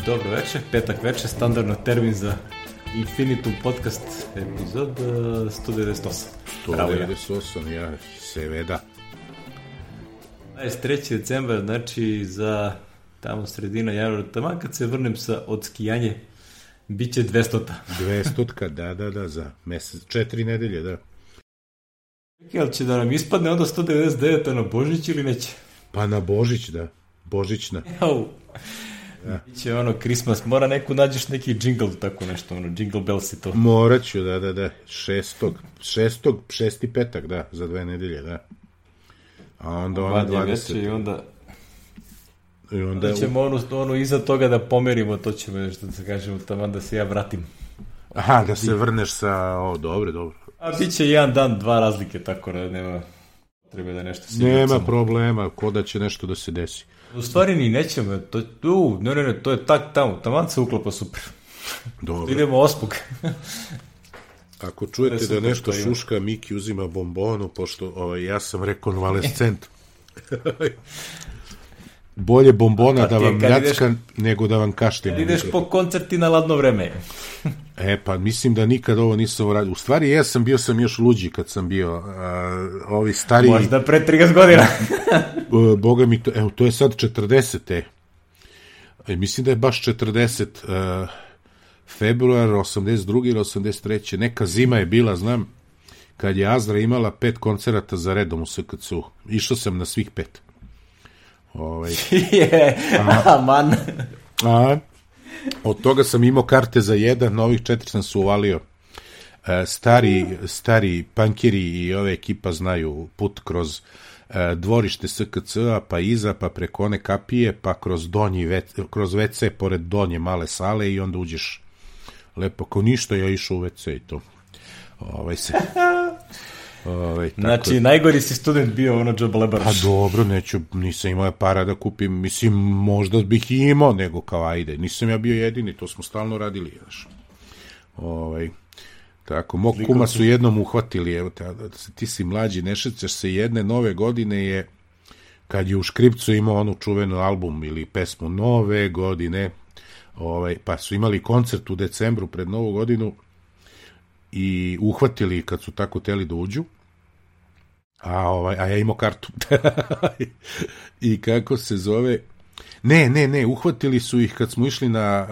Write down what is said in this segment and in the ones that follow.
Dobro večer, petak večer, standardno termin za Infinitum podcast epizod 198. 198, ja, seveda. 23. decembar, znači za tamo sredina januara, taman kad se vrnem od skijanje, bit će 200-ta. 200-ka, da, za mesec, 4 nedelje, da. Jel će da nam ispadne onda 199 na Božić ili neće? Pa na Božić, da. Božićna. Ja. Biće ono Christmas, mora neku nađeš neki jingle, tako nešto, ono, jingle bells i to. Morat ću, da. Šesti petak, da, za 2 nedelje, da. A onda ono 20. I onda ćemo ono iza toga da pomerimo, to ćemo nešto da se kažemo, taman da se ja vratim. Aha, da se vrneš sa, dobro. A bit će jedan dan, 2 razlike, tako da nema treba da nešto se nema problema, ko da će nešto da se desi. U stvari ni nećemo, to je tak tamo, taman se uklapa super. Dobro. Idemo ospog. Ako čujete da nešto šuška, Miki uzima bombonu, pošto ja sam rekonvalescent. Bolje bombona da vam ljacka nego da vam kašljem. Kad ideš po koncerti na ladno vreme. Pa mislim da nikad ovo nisam uradio. U stvari bio sam još luđi kad sam bio ovi stariji. Možda pre 30 godina. Boga mi to, to je sad 40. Mislim da je baš 40. Februar 82. ili 83. Neka zima je bila, znam, kad je Azra imala 5 koncerata za redom u SKC-u. Išao sam na svih 5. Aman. Od toga sam imao karte za 1, novih 4 sam se uvalio. Stari pankeri i ove ekipa znaju put kroz dvorište SKC-a, pa iza, pa preko one kapije, pa kroz WC, pored donje male sale i onda uđeš lepo. Kao ništa, ja išao u WC i to. Znači, najgori si student bio ono džaba lebaraš. Pa dobro, nisam imao para da kupim, mislim, možda bih i imao, nego kao ajde, nisam ja bio jedini, to smo stalno radili, znaš. Tako, mog kuma su jednom uhvatili, evo te, ti si mlađi, ne šećaš se, jedne nove godine je, kad je u Škripcu imao onu čuvenu album ili pesmu Nove godine, pa su imali koncert u decembru pred Novu godinu i uhvatili kad su tako teli da uđu, a ja imao kartu. I kako se zove, ne, uhvatili su ih kad smo išli na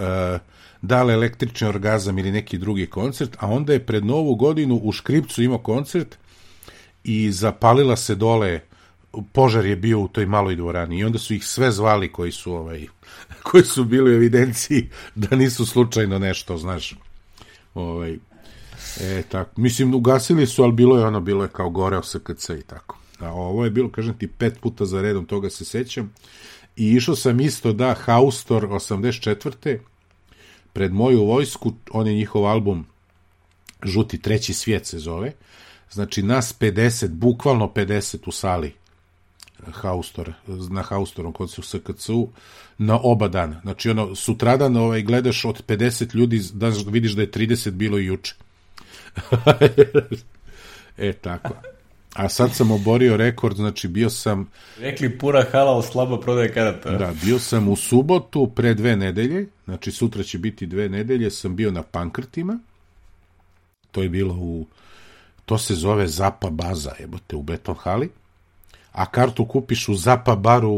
Dale električni orgazam ili neki drugi koncert, a onda je pred Novu godinu u Škripcu imao koncert i zapalila se dole, požar je bio u toj maloj dvorani i onda su ih sve zvali koji su bili u evidenciji da nisu slučajno nešto, znaš. Tako. Mislim, ugasili su, ali bilo je kao goreo SKC i tako. A ovo je bilo, kažem ti, 5 puta za redom, toga se sećam. I išao sam isto, Haustor 84. Pred moju vojsku, on je njihov album Žuti treći svijet se zove. Znači, nas 50, bukvalno 50 u sali na Haustorom kod se u SKC-u na oba dana. Znači, sutradan gledaš od 50 ljudi, vidiš da je 30 bilo i juče. Tako. A sad sam oborio rekord, znači bio sam... Rekli pura hala, slaba prodaje karata. Da, bio sam u subotu pre 2 nedelje, znači sutra će biti 2 nedelje, sam bio na Pankrtima, to je bilo to se zove Zapa baza, u Beton hali, a kartu kupiš u Zapa baru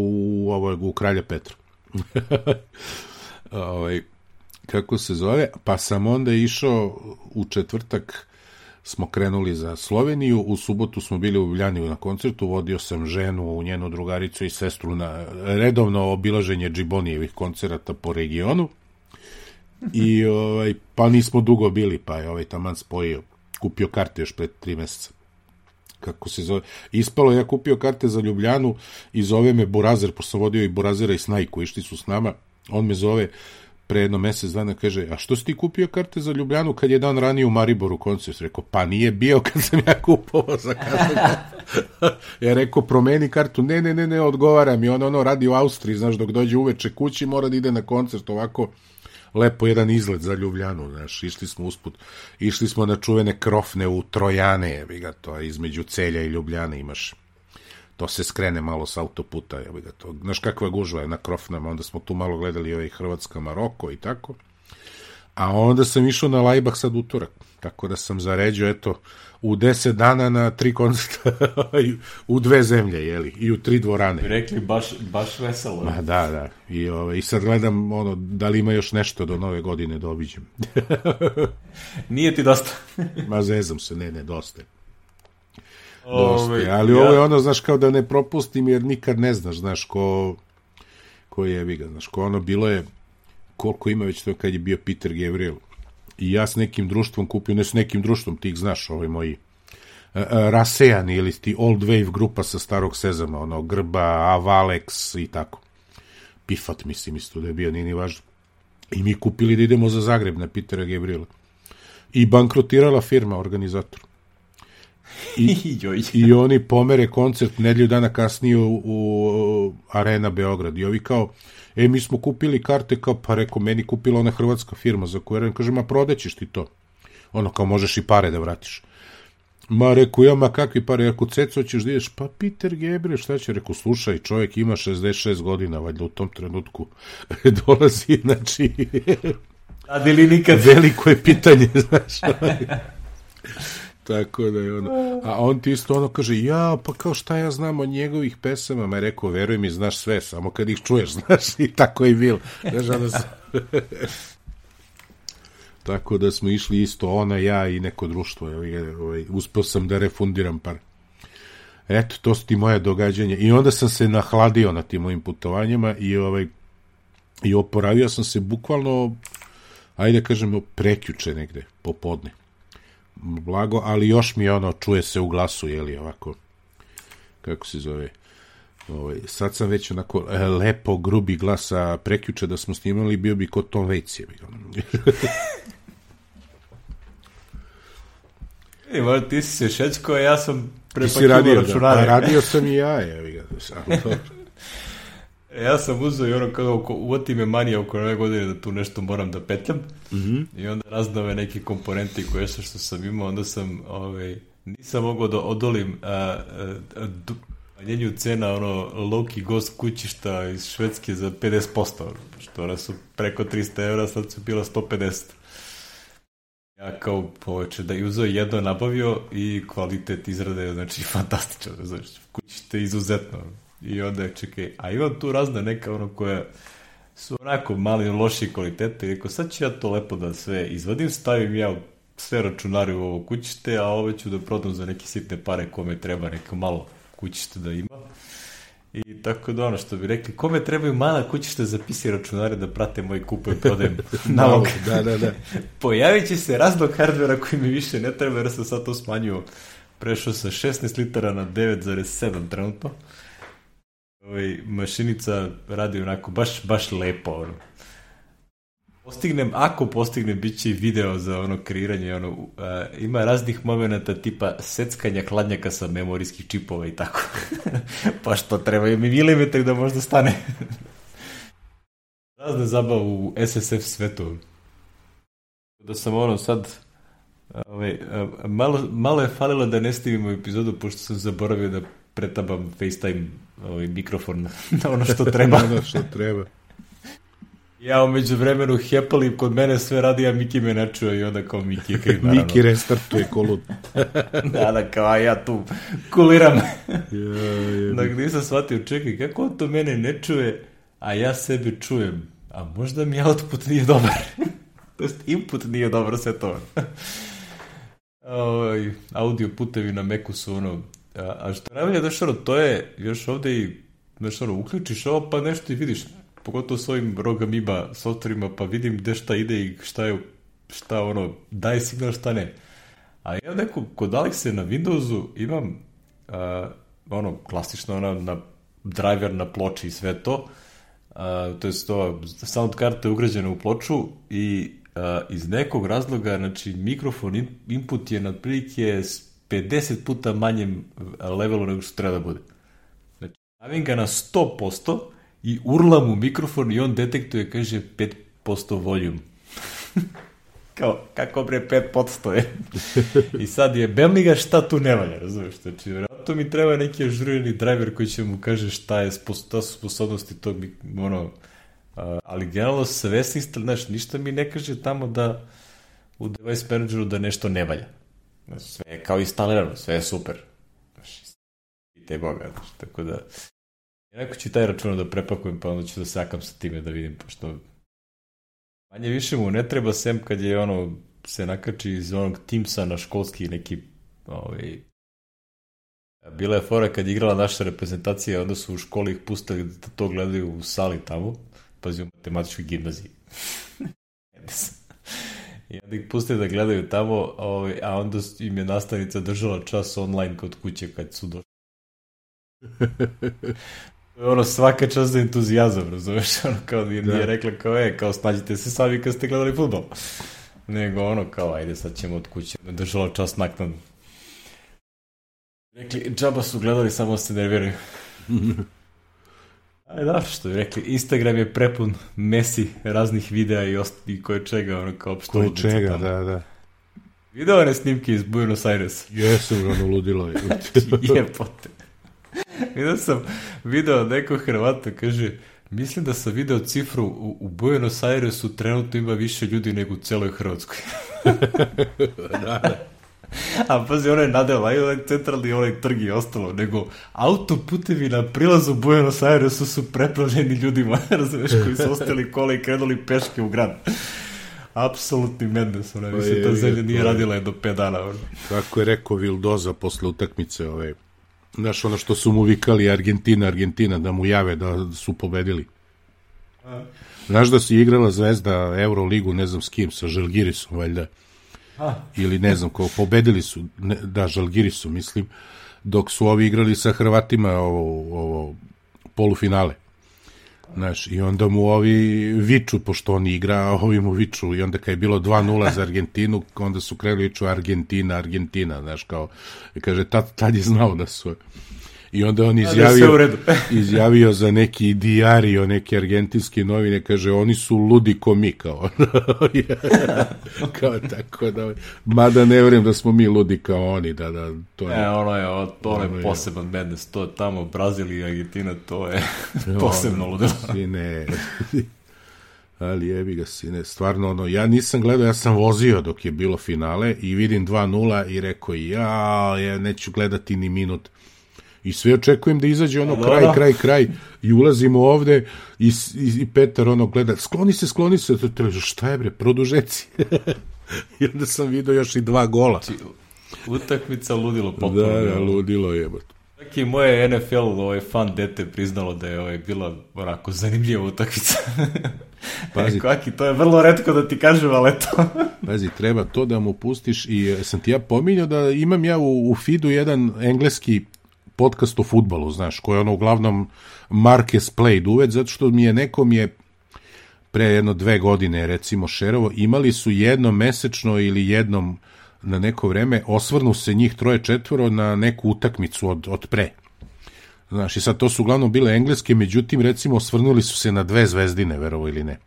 u Kralja Petra. Kako se zove, pa sam onda išao u četvrtak, smo krenuli za Sloveniju, u subotu smo bili u Ljubljani na koncertu, vodio sam ženu, njenu drugaricu i sestru na redovno obilaženje Džibonijevih koncerata po regionu i pa nismo dugo bili, pa je taman spojio, kupio karte još pred 3 meseca. Kako se zove, ispalo, ja kupio karte za Ljubljanu i zove me Burazer, pošto sam vodio i Burazera i Snajku, išli su s nama, on me zove pre 1 mesec dana, kaže, a što si ti kupio karte za Ljubljanu kad je dan ranije u Mariboru koncert? Rekao, pa nije bio kad sam ja kupovao za kartu. Ja rekao, promeni kartu, ne, odgovara mi, on radi u Austriji, znaš, dok dođe uveče kući, mora da ide na koncert, ovako, lepo jedan izlet za Ljubljanu, znaš, išli smo na čuvene krofne u Trojane, to je između Celja i Ljubljane imaš to se skrene malo s autoputa, znaš kakva gužva je na Krofnama, onda smo tu malo gledali Hrvatska, Maroko i tako, a onda sam išao na Lajbah sad utorak, tako da sam zaređio, eto, u 10 dana na 3 koncerta u 2 zemlje, jeli, i u 3 dvorane. Rekli, baš veselo. Ma da. I sad gledam, da li ima još nešto do nove godine da obiđem. Nije ti dosta? Ma zezam se, ne, dosta. Ali ovo je znaš, kao da ne propustim, jer nikad ne znaš, znaš, ko je Eviga, znaš, bilo je, koliko ima već to kad je bio Peter Gabriel. I ja s nekim društvom kupio, ne s nekim društvom, ti ih znaš, moji rasejani ili ti old wave grupa sa starog Sezama, Grba, Avalex i tako. Pifat, mislim, isto da je bio, nije ni važno. I mi kupili da idemo za Zagreb na Petera Gabriela. I bankrotirala firma, organizator. I oni pomere koncert nedelju dana kasnije u Arena Beograd. I ovi kao, mi smo kupili karte, kao, pa rekao, meni kupila ona hrvatska firma za koju Arena, kaže, ma prodaćeš ti to. Kao, možeš i pare da vratiš. Ma, rekao, kakvi pare, rekao, Ceco, ćeš da ideš, pa Peter Gabriel, šta će, rekao, slušaj, čovjek ima 66 godina, valjda u tom trenutku dolazi, znači, radili nikad. Veliko je pitanje, znaš, tako da je a on ti isto kaže, pa kao šta ja znam od njegovih pesama, ma je rekao, veruj mi, znaš sve, samo kad ih čuješ, znaš, i tako je bilo, znaš, tako da smo išli isto, ona, ja i neko društvo, uspeo sam da refundiram par. Eto, to su ti moje događanja. I onda sam se nahladio na tim mojim putovanjima i oporavio sam se bukvalno, ajde kažemo, prekjuče negde, popodne. Blago, ali još mi čuje se u glasu, ovako, kako se zove, sad sam već onako lepo, grubi glas, a prekjuče da smo snimali, bio bi kod Tom Waits, ti si se šećko, a ja sam prepakivao računare. Radio sam i ja, Ja sam uzeo kao uvati me manija oko nove godine da tu nešto moram da petljam i onda raznove neke komponente koje što sam imao, onda sam nisam mogao da odolim manjenju cena low-key gost kućišta iz Švedske za 50%, što ona su preko 300 evra, sad su bila 150. Ja kao poveće da je uzeo jedno nabavio i kvalitet izrade, znači fantastičan, znači kućište izuzetno. I onda čekaj, a imam tu razne neka koja su onako mali loši kvalitete i rekao, sad ću ja to lepo da sve izvadim, stavim ja sve računare u ovo kućište, a ove ću da prodam za neke sitne pare kome treba neko malo kućište da ima. I tako da što bi rekli, kome trebaju mala kućišta za PC računare da prate moj kupujem, prodajem nalog. Da. Pojavit će se raznog hardvera koji mi više ne treba, jer sam sad to smanjio. Prešao sa 16 litara na 9,7 trenutno. Mašinica radi onako baš lepo. Ako postignem, bit će i video za kreiranje. Ima raznih momenata tipa seckanja hladnjaka sa memorijskih čipova i tako. Pa što trebaju mi milimetri da možda stane. Razne zabave u SSF svetu. Da sam sad malo je falilo da ne snimimo epizodu, pošto sam zaboravio da pretabam FaceTime mikrofon na ono što treba. Ja umeđu vremenu hepalim, kod mene sve radi, a Miki me ne čuje i onda kao Miki je kriv, naravno. Miki restartuje kolud. Da, kao ja tu kuliram. Dakle, nisam shvatio, čekaj, kako on to mene ne čuje, a ja sebe čujem? A možda mi output nije dobar. To jest, input nije dobro, sve to. Audio putevi na Macu su a što najbolje, to je još ovde i uključiš ovo pa nešto i vidiš, pogotovo s ovim ROG Amoeba softverima, pa vidim gde šta ide i šta daje signal, šta ne. A ja neko, kod Alexe na Windowsu imam klasično na driver na ploči i sve to, to je sound karta je ugrađena u ploču i iz nekog razloga, znači mikrofon input je na prilike 50 puta manjem levelu nego što treba da bude. Znači, stavim ga na 100% i urlam u mikrofon i on detektuje, kaže 5% volume. Kako bre 5% je? I sad je, bem li ga šta tu ne valja, razumiješ? Znači, vjerojatno To mi treba neki ažurirani driver koji će mu kaže šta su sposobnosti tog, ali generalno sve se znaš, ništa mi ne kaže tamo da u device manageru da nešto ne valja. Znači, sve je kao instalirano, sve je super. Znači, i te boga, znači, tako da jednako ću taj račun da prepakujem, pa onda ću da sakam sa time da vidim, pošto manje više mu ne treba, sem kad je se nakači iz onog Teamsa na školski neki bila je fora kad je igrala naša reprezentacija, onda su u školi ih pustili da to gledaju u sali tamo, pazi u matematičkoj gimnaziji. I onda ih pustili da gledaju tamo, a onda im je nastavnica držala čas online kod kuće kad su došli. Svaka čast za entuzijazam, razumeš, kao nije rekla kao snađite se sami kad ste gledali fudbal. Nego kao ajde sad ćemo od kuće, držala čas naknadno. Rekli, džaba su gledali, samo se nerviraju. Ajde, da, što je rekli, Instagram je prepun Messi raznih videa i koje čega, kao opšto ludnica. Koje čega, da. Video one snimke iz Buenos Airesa. Jesu, ludilo je. Jepote. Video nekog Hrvata, kaže, mislim da sam video cifru u Buenos Airesu trenutno ima više ljudi nego u celoj Hrvatskoj. Da. A pazi, ono je nadela, onaj centralni, onaj trg i ostalo, nego autoputevi na prilazu Buenos Airesu su preplavljeni ljudima, razumeš, koji su ostali kola i krenuli peške u grad. Apsolutni madness, mislim, ta zemlja nije radila je do 5 dana. Kako je rekao Vildoza posle utakmice, znaš, ono što su mu vikali Argentina, da mu jave da su pobedili. Znaš da si igrala Zvezda Euroligu, ne znam s kim, sa Žalgirisom, valjda. Ili ne znam, pobedili su, Žalgirisu, mislim, dok su ovi igrali sa Hrvatima ovo polufinale. Znaš, i onda mu ovi viču, pošto on igra, ovi mu viču, i onda kad je bilo 2-0 za Argentinu, onda su krenuli viču Argentina, znaš, kao, kaže, tad je znao da su... I onda on izjavio za neki diario, neke argentinske novine, kaže, oni su ludi ko mi, kao tako da, mada ne vjerujem da smo mi ludi kao oni, da, to je... To je poseban madness, to je tamo, Brazil i Argentina, to je posebno ludilo. Sine, ali jebi ga, sine, stvarno, ja nisam gledao, ja sam vozio dok je bilo finale i vidim 2-0 i rekao, ja neću gledati ni minut. I sve očekujem da izađe kraj i ulazimo ovde i Petar gleda, skloni se, šta je bre, produžeci. I onda sam vidio još i 2 gola. Utakmica ludilo potpuno. Da, ludilo je. Čak i moje NFL fan dete priznalo da je bila onako zanimljiva utakmica. Pazi, Kaki, to je vrlo retko da ti kažem, ali to... Pazi, treba to da mu pustiš i sam ti ja pominjao da imam ja u feedu jedan engleski podcast o fudbalu, znaš, koji je uglavnom Marques Played uveć, zato što nekom je pre 1-2 godine, recimo, šerovo, imali su jednom mesečno ili jednom na neko vreme, osvrnu se njih 3-4 na neku utakmicu od pre. Znaš, i sad to su uglavnom bile engleske, međutim, recimo, osvrnuli su se na 2 zvezdine, verovo ili ne.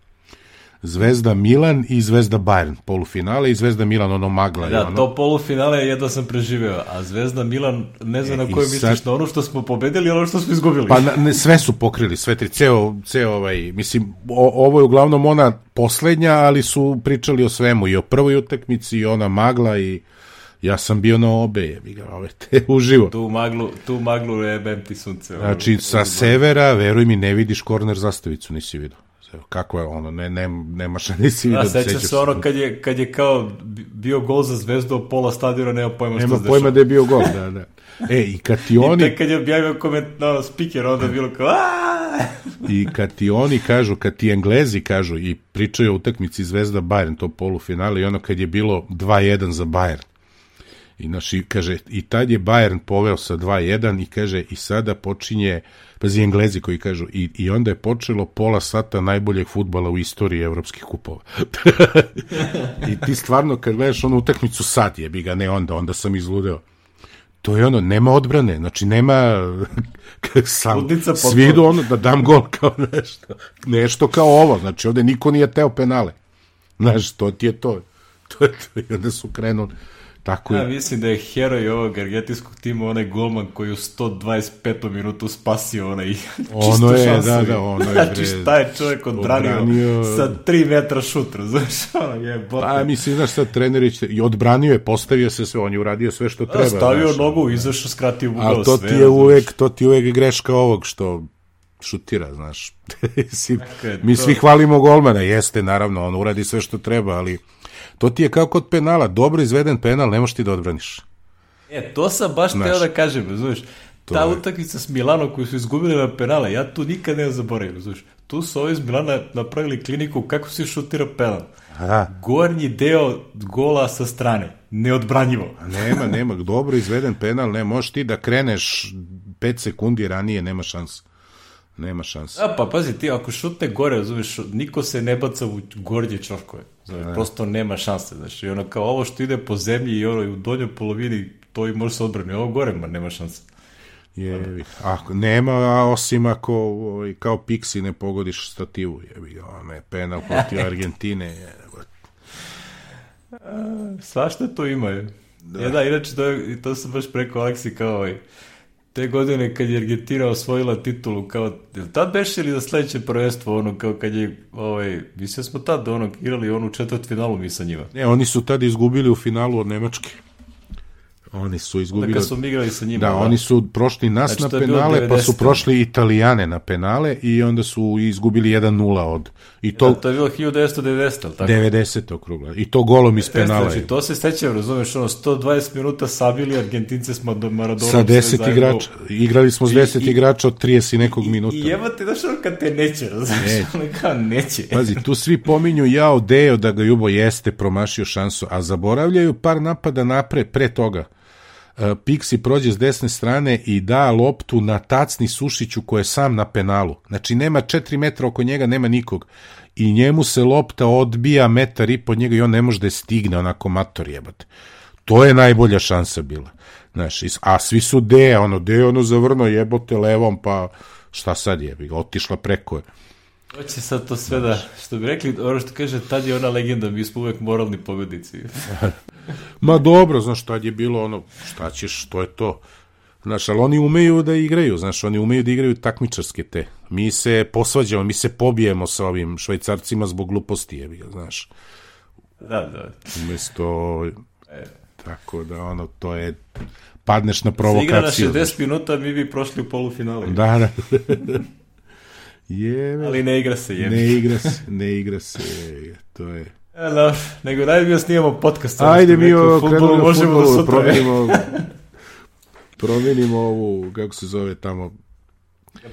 Zvezda Milan i Zvezda Bayern, polufinale, i Zvezda Milan, magla. Da, to polufinale jedva sam preživeo, a Zvezda Milan, ne znam na koje misliš, na ono što smo pobedili, ono što smo izgubili. Pa sve su pokrili, sve tri, ceo mislim, ovo je uglavnom ona poslednja, ali su pričali o svemu, i o prvoj utakmici, i ona magla, i ja sam bio na obe, uživo. Tu maglu jebem ti sunce. Znači, sa severa, veruj mi, ne vidiš korner zastavicu, nisi vidio. Kako je nema šta nisi vidio. Sećaš se kad je kao bio gol za Zvezdu, pola stadiona nema pojma što se dešava. Nema pojma da je bio gol, da. I kad ti oni... I tek kad je objavio speaker, onda je bilo kao I kad ti oni kažu, kad ti Englezi kažu i pričaju o utakmici Zvezda Bayern, to polufinale, i kad je bilo 2-1 za Bayern. I kaže, i tad je Bayern poveo sa 2-1 i kaže, i sada počinje, pazi, Englezi koji kažu, i onda je počelo pola sata najboljeg fudbala u istoriji evropskih kupova. I ti stvarno, kad gledaš onu utakmicu sad, jebi ga, ne onda sam izludeo. To je nema odbrane, znači nema sam svi idu da dam gol kao nešto kao ovo, znači ovde niko nije teo penale. Znaš, to ti je to. I onda su Tako ja mislim da je heroj ovog argentinskog tima onaj golman koji u 125. minutu spasio onaj ono je, šansu. da, ono je. Znači šta je čovjek odbranio sa 3 metra šutra, znaš, ono je bote. Pa mislim, znaš sad, trenerić i odbranio je, postavio se sve, on je uradio sve što treba. Stavio nogu, izašao, skratio ugao sve. Ali to ti je uvek greška ovog što šutira, znaš. Mi svi hvalimo golmana, jeste, naravno, on uradi sve što treba, ali to ti je kao kod penala, dobro izveden penal, ne možeš ti da odbraniš. To sam baš teo da kažem, znaš, ta utakmica s Milanom koju su izgubili na penale, ja tu nikad ne zaboravim, znaš, tu su ovi iz Milana napravili kliniku kako se šutira penal. Gornji deo gola sa strane, neodbranjivo. Nema, dobro izveden penal, ne, možeš ti da kreneš 5 sekundi ranije, nema šanse. Nema šanse. Pa pazi, ti ako šutne gore, razumiješ, niko se ne baca u gornje čorkove. Prosto nema šanse. Znači, ono kao ovo što ide po zemlji i ono u donjoj polovini, to i može se odbrani. Ovo gore, nema šanse. Nema, osim ako kao Pixi ne pogodiš stativu. Penal protiv Argentine. Svašta to ima. Inače, to sam baš preko Aleksi kao te godine kad je Argentina osvojila titulu, kao, tad beše li za sledeće prvenstvo, ono, kao kad je, mislim smo tad, igrali onu četvrtfinalu mi sa njima. Ne, oni su tad izgubili u finalu od Nemačke. Oni su izgubili... Kad smo igrali sa njima. Da, oni su prošli nas na penale, pa su prošli Italijane na penale i onda su izgubili 1-0 od... To je bilo 1990, ali tako? 90. okrugla. I to golom iz penala. Znači, to se stećem, razumeš, 120 minuta sabili, Argentince smo do Maradonom... Sa 10 igrača. Igrali smo s 10 igrača od 30 i nekog minuta. I jebate, znaš kad te neće, razumeš, neće. Pazi, tu svi pominju Deo da ga Jubo jeste promašio šansu, a zaboravljaju par napada napred, pre toga. Pixi prođe s desne strane i da loptu na tacni Sušiću koji je sam na penalu. Znači nema 4 metra oko njega, nema nikog. I njemu se lopta odbija 1,5 metra od njega i on ne može da je stigne, onako mator jebate. To je najbolja šansa bila. Znaš, a svi su Deo zavrno jebote levom, pa šta sad jebi ga, otišla preko je. Hoće sad to sve da, što bi rekli, ono što kaže, tad je ona legenda, mi smo uvek moralni pobednici. Ma dobro, znaš, tad je bilo šta ćeš, to je to. Znaš, ali oni umeju da igraju, znaš, oni umeju da igraju takmičarske te. Mi se posvađamo, mi se pobijemo sa ovim Švajcarcima zbog gluposti, jebi ga, znaš. Da. Umesto, tako da, to je, padneš na provokaciju. Se igra na 60 minuta, mi bi prošli u polufinale. Da. Ali ne igra se, ne igra se, to je... Nego daj mi snimamo podcast. Ajde mi krenuli na futbolu, promenimo ovu, kako se zove tamo...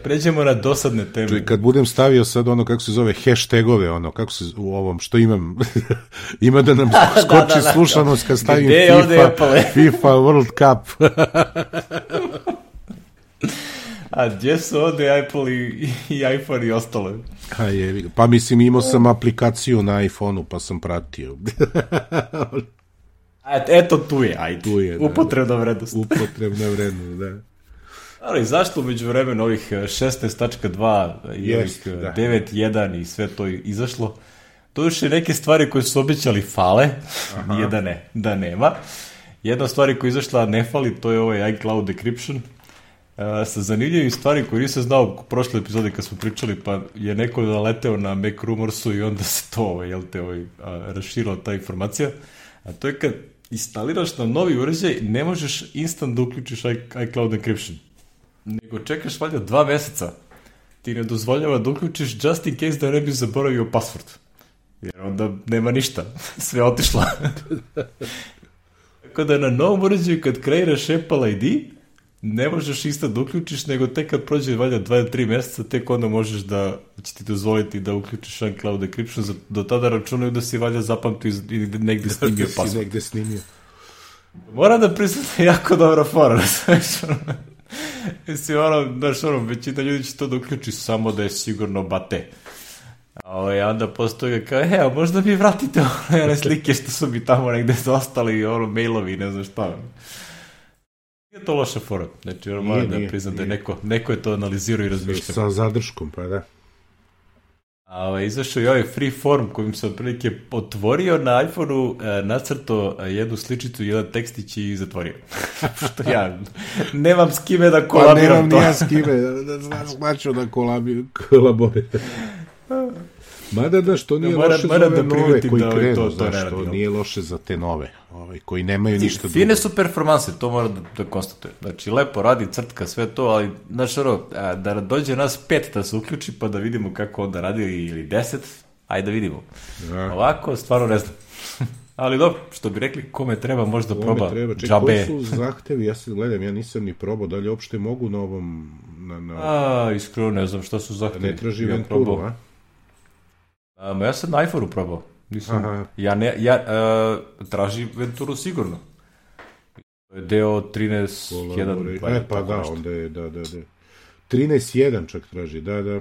Pređemo na dosadne teme. Čuj, kad budem stavio sad kako se zove hashtagove, kako se u ovom, što imam, ima da nam skoči slušanost kad stavim FIFA World Cup. A gdje su ovde Apple i iPhone i ostalo? Pa mislim, imao sam aplikaciju na iPhone-u, pa sam pratio. Eto tu je, ajde. Upotrebna vrednost. Upotrebna vrednost, da. Ali zašto umeđu vremena ovih 16.2 i ovih 9.1 i sve to izašlo? To još je neke stvari koje su obećali fale, nije da nema. Jedna stvari koja je izašla ne fali, to je ovaj iCloud decryption. Sa zanimljivim stvari koje nisam znao u prošle epizode kad smo pričali, pa je neko naleteo na Mac Rumorsu i onda se to raširila ta informacija. A to je kad instaliraš na novi uređaj, ne možeš instant da uključiš iCloud encryption. Nego čekaš valjda 2 meseca. Ti ne dozvoljava da uključiš just in case da ne bi zaboravio password. Jer onda nema ništa. Sve otišlo. Tako da na novom uređaju kad kreiraš Apple ID, ne možeš isto da uključiš, nego tek kad prođe valjda 2-3 meseca, tek onda možeš da će ti dozvoliti da uključiš iCloud encryption. Do tada računaju da si valjda zapamtio i negde snimio password. Moram da priznam da je jako dobra fora. Mislim, većina ljudi će to da uključi samo da je sigurno bate. A onda postoji kao, možda mi vratite one slike što su mi tamo negde zostali, mailovi, ne znam šta. Nije to loša fora. Znači, moram da priznam da je neko je to analizirao i razmišljao. Sa zadrškom, pa da. Izašao je ovaj Freeform kojim sam otprilike otvorio na iPhone-u, nacrto jednu sličicu, jedan tekstić i zatvorio. Što ja nemam s kime da kolabiram to. Pa nemam ja s kime, značio da kolaboriram. Mada da što nije loše za ove nove koji krenu, što nije loše za te nove, koji nemaju ništa drugo. Fine su performanse, to moram da konstatuje. Znači, lepo radi, crtka, sve to, ali, znaš, da dođe nas 5 da se uključi, pa da vidimo kako onda radi, ili 10, ajde da vidimo. Ja. Ovako, stvarno ne znam. Ali dobro, što bi rekli, kome treba možda proba džabe. Koji su zahtevi, ja se gledam, ja nisam ni probao, da li uopšte mogu na ovom... Iskreno ne znam šta su zahtevi. Ne traži Venturu, a? Ja sam na iPhone-u probao. Traži Venturu sigurno. To je deo 13.1. Pa da, onda je, da. 13.1 čak traži, da.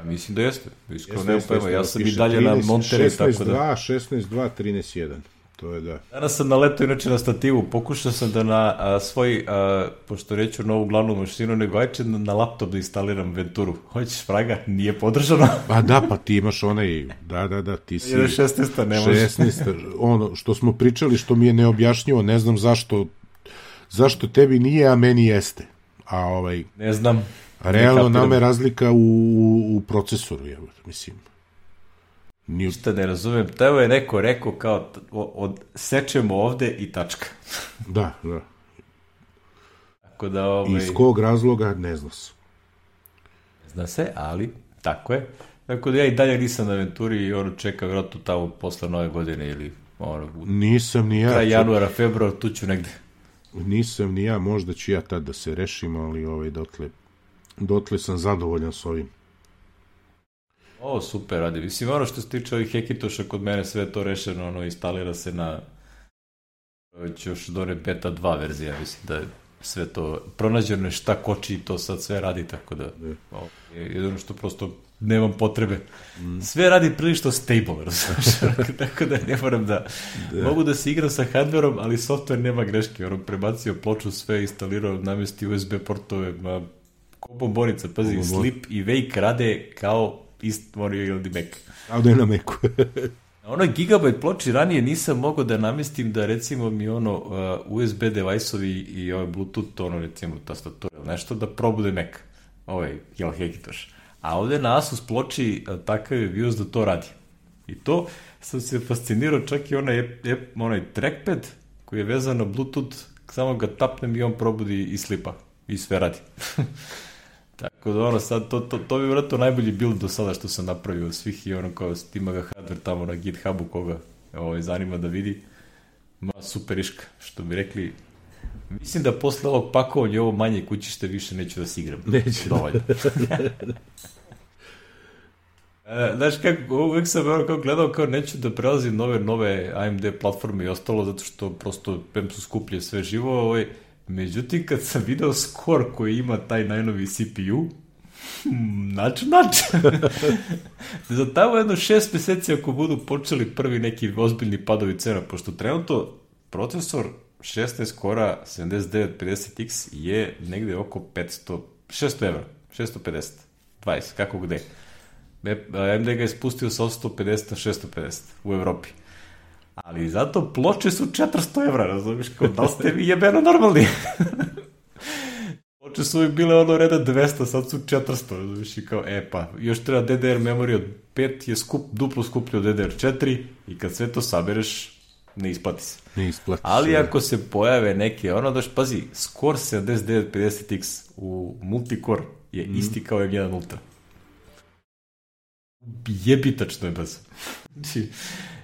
Mislim da jeste. Iskreno nema pojma, ja sam i dalje na Monterey, tako da... 16.2, 13.1. To je da. Danas sam naletao inače na stativu, pokušao sam da na svoj, pošto reću novu glavnu mašinu, nego ajče na laptop da instaliram Venturu. Hoćeš fraga? Nije podržano. Pa ti imaš onaj, da, ti si... 16. ne može. 16. Ono što smo pričali, što mi je neobjašnjivo, ne znam zašto tebi nije, a meni jeste. Ne znam. Realno nam je razlika u procesoru, mislim. Ništa ne razumem, teo je neko rekao kao sečemo ovde i tačka. Da. Tako da iz kog razloga ne zna se. Ne zna se, ali tako je. Tako da ja i dalje nisam na Venturi i čekam vjerojatno tamo posle nove godine ili nisam ni ja. Kraj januara, februar, tu ću negde. Nisam ni ja, možda ću ja tad da se rešim, ali dotle sam zadovoljan s ovim. Super radi. Mislim, što se tiče ovih Hekitoša, kod mene sve to rešeno, instalira se na još done beta 2 verzija, mislim da je sve to pronađeno je šta koči i to sad sve radi, tako da je jedno što prosto nemam potrebe. Sve radi prilično stable, tako da ne moram da... Mogu da se igram sa hardverom, ali software nema greške. Prebacio ploču, sve instalirao, namesti USB portove, ko bombonica, pazi, Sleep i Wake rade kao Morio ili Mac. Kao da je na Macu. Na onoj Gigabyte ploči ranije nisam mogao da namestim da recimo mi USB device-ovi i Bluetooth, recimo tastatura, nešto da probude Mac. Hekitoš. A ovde na Asus ploči takav je BIOS da to radi. I to sam se fascinirao, čak i onaj trackpad koji je vezan na Bluetooth, samo ga tapnem i on probudi i Slipa. I sve radi. Tako da sad, to bi vjerojatno najbolji build do sada što sam napravio od svih i kao ima ga hardware tamo na GitHubu koga zanima da vidi. Super iška, što bi rekli. Mislim da posle ovog pakovanja ovo manje kućište više neću da se igram. Neću. Dovoljno. Znaš kako, uvek sam gledao kao neću da prelazim nove AMD platforme i ostalo, zato što prosto su skuplje sve živo, međutim, kad sam video skor koji ima taj najnovi CPU, nač. Za tamo jedno 6 meseci ako budu počeli prvi neki ozbiljni padovi cena, pošto trenutno procesor 16 kora 7950X je negde oko 600 evra, 650, 20, kako gde. AMD ga je spustio sa 850 na 650 u Evropi. Ali zato ploče su 400 evra, razumiješ, kao da ste vi jebeno normalni. Ploče su bile reda 200, sad su 400, razumiješ, i kao, još treba DDR memory od 5 je duplo skuplje od DDR4 i kad sve to sabereš, ne isplati se. Ali ako se pojave neke, pazi, skor 7950X u multicore je isti kao M1 Ultra. Jebitačno je brzo.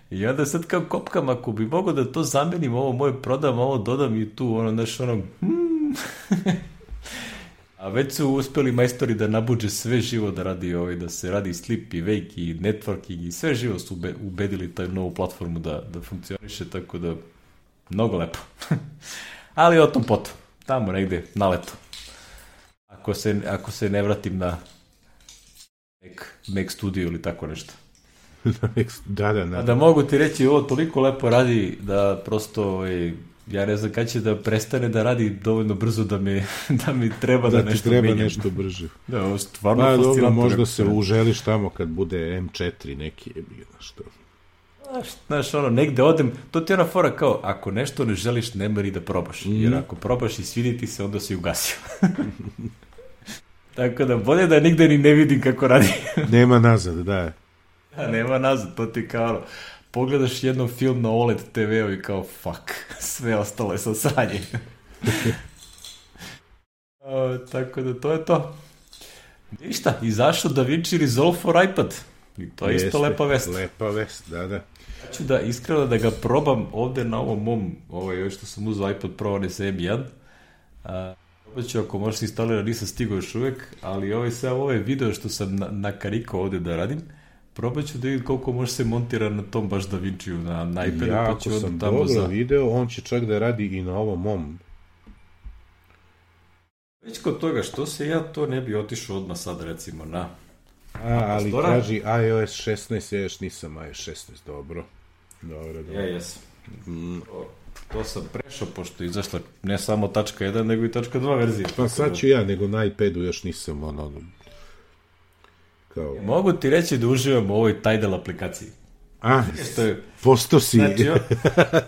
I onda sad kao kopkam, ako bi mogao da to zamenim, ovo moje prodam, ovo dodam i tu, A već su uspeli majstori da nabuđe sve živo da radi da se radi Sleep i Wake i networking i sve živo su ubedili taj novu platformu da funkcioniše, tako da mnogo lepo. Ali o tom potom, tamo negde, na leto. Ako se ne vratim na Mac Studio ili tako nešto. Da. Da mogu ti reći, ovo toliko lepo radi da prosto ja ne znam kada će da prestane da radi dovoljno brzo da mi treba da nešto treba menjam. nešto brže. Da, ovo stvarno Pa fascinantno. dobro, možda se uželiš tamo kad bude M4 neki je bio, što. Znaš, ono, negde odem, to ti je ona fora kao, ako nešto ne želiš, ne mori da probaš. Jer ako probaš i svidi ti se, onda si ugasio. Tako da, bolje da nigde ni ne vidim kako radi. Nema nazad, da. Ja, nema nazad, to ti kao, ono, pogledaš jednom film na OLED TV-u i kao, fuck, sve ostalo je sa sranje. Tako da, to je to. Ništa, izašao DaVinci Resolve for iPad. I to je isto lepa vest. Lepa vest, da. Ja ću da iskreno da ga probam ovde na ovom mom, još što sam uzao iPad Pro, on je sa M1. Probat ću ako možeš instalirati, nisam stigao još uvek, ali sve ove video što sam nakarikao ovde da radim, probat ću da vidim koliko može se montira na tom baš DaVinciju na iPadu. Ja, pa ako sam dobro video, on će čak da radi i na ovom mom. Već kod toga, što se ja to ne bi otišao odmah sad recimo na... ali kaži iOS 16, ja još nisam iOS 16, dobro. Ja jesam. To sam prešao, pošto je izašla ne samo tačka 1, nego i tačka 2 verzija. Pa sad ću ja, nego na iPadu još nisam kao... Mogu ti reći da uživam u ovoj Tidal aplikaciji. Posto si... Znači,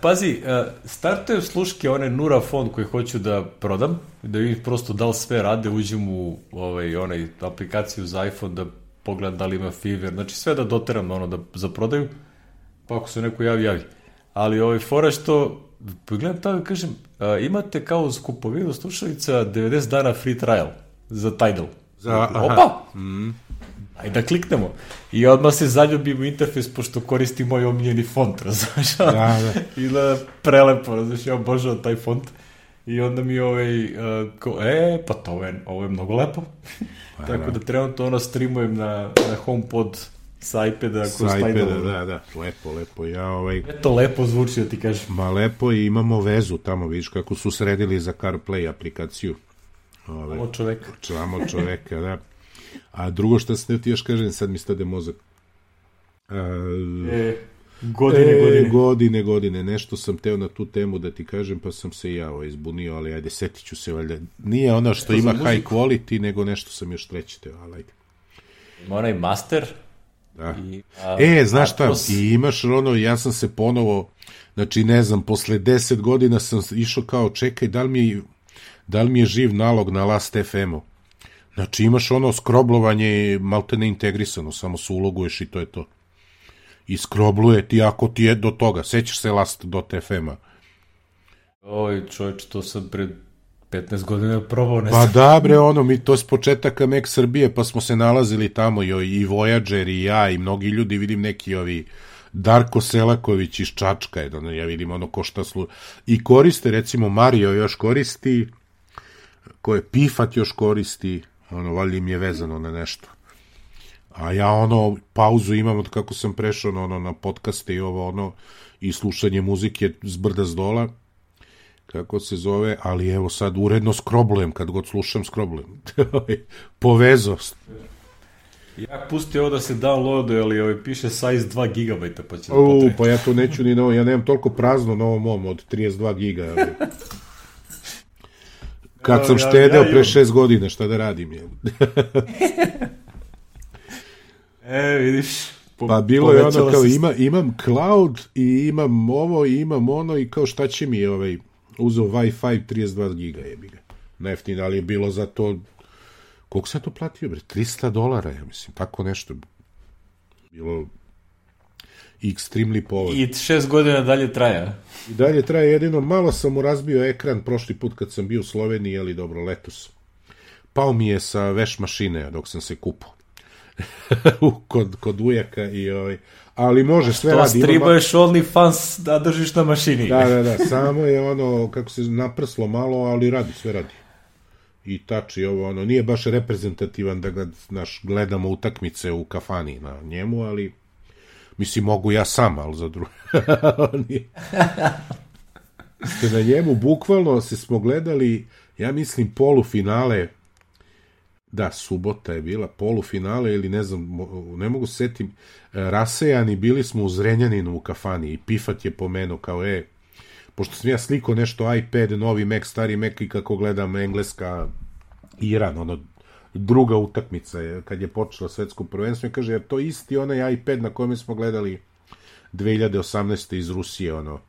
pazi, startuju sluške one Nura fond koji hoću da prodam, da vidim prosto da li sve rade, uđem u onaj aplikaciju za iPhone da pogledam da li ima Fiverr, znači sve da doteram za prodaju, pa ako se neko javi. Ali fora što, pogledam tamo i kažem, imate kao uz kupovinu slušalica 90 dana free trial za Tidal. Opa! Ajde da kliknemo. I odmah se zaljubim u interfejs, pošto koristi moj omiljeni font, razumiješ? Da. I da prelepo, razumiješ, ja obožavam taj font. I onda mi pa ovo je mnogo lepo. Tako da trenutno streamujem na HomePod sa iPada. Sa iPada, da, lepo. To lepo zvuči, da ti kažem. Ma lepo, i imamo vezu tamo, vidiš kako su sredili za CarPlay aplikaciju. Samo čoveka, da. A drugo što sam ti još kažem, sad mi stade mozak. Godine. Nešto sam teo na tu temu da ti kažem, pa sam se ja izbunio, ali ajde, setit ću se, valjda. Nije ono što ima high quality, nego nešto sam još treći teo, ali ajde. Ima onaj master. Da. Znaš šta, i imaš ja sam se ponovo, znači ne znam, posle 10 godina sam išao kao, čekaj, da li mi je živ nalog na Last.fm-u? Znači imaš skroblovanje malte ne integrisano, samo se uloguješ i to je to. I skrobluje ti ako ti je do toga. Sećaš se Last.fm-a? Oj, čovječ, to sam pred 15 godina probao. Pa da, bre, to je s početaka Mac Srbije, pa smo se nalazili tamo i Voyager i ja i mnogi ljudi, vidim neki Darko Selaković iz Čačka, ja vidim ko šta i koriste, recimo Mario još koristi, Pifat još koristi, valjda im je vezano na nešto. A ja pauzu imam od kako sam prešao na podcaste i i slušanje muzike s brda s dola, kako se zove, ali evo sad uredno skroblujem, kad god slušam skroblujem. Povezost. Ja pusti ovo da se downloaduje, ali piše size 2 GB, pa će pa ja to neću ni ja nemam toliko prazno na ovom mom od 32 giga. Kad sam štedeo pre 6 godina, šta da radim je. Vidiš. Pa bilo je kao imam cloud i imam ovo i imam i kao šta će mi uzeo Wi-Fi 32 giga jebiga. Najjeftinije, ali je bilo za to, koliko sam to platio, bre? $300, ja mislim, tako nešto. Bilo extremely povoljno. I 6 godina dalje traja. I dalje traje, jedino malo sam mu razbio ekran prošli put kad sam bio u Sloveniji, ali dobro, letos. Pao mi je sa veš mašine dok sam se kupao. kod ujaka ali može, sve radi. Što streamuješ OnlyFans da držiš na mašini. Da, samo je kako se naprslo malo, ali radi, sve radi. I touch i nije baš reprezentativan da ga, gledamo utakmice u kafani na njemu, ali mislim, mogu ja sam, ali za drugo. Na njemu bukvalno smo gledali, ja mislim, polufinale. Da, subota je bila, polufinale ili ne znam, ne mogu setim, rasejani, bili smo u Zrenjaninu u kafani i Pifat je pomenuo kao, pošto sam ja sliko nešto iPad, novi Mac, stari Mac i kako gledam Engleska, Iran, ono, druga utakmica je, kad je počelo svetsko prvenstvo, i kaže, jer to isti onaj iPad na kojem smo gledali 2018. iz Rusije, ono.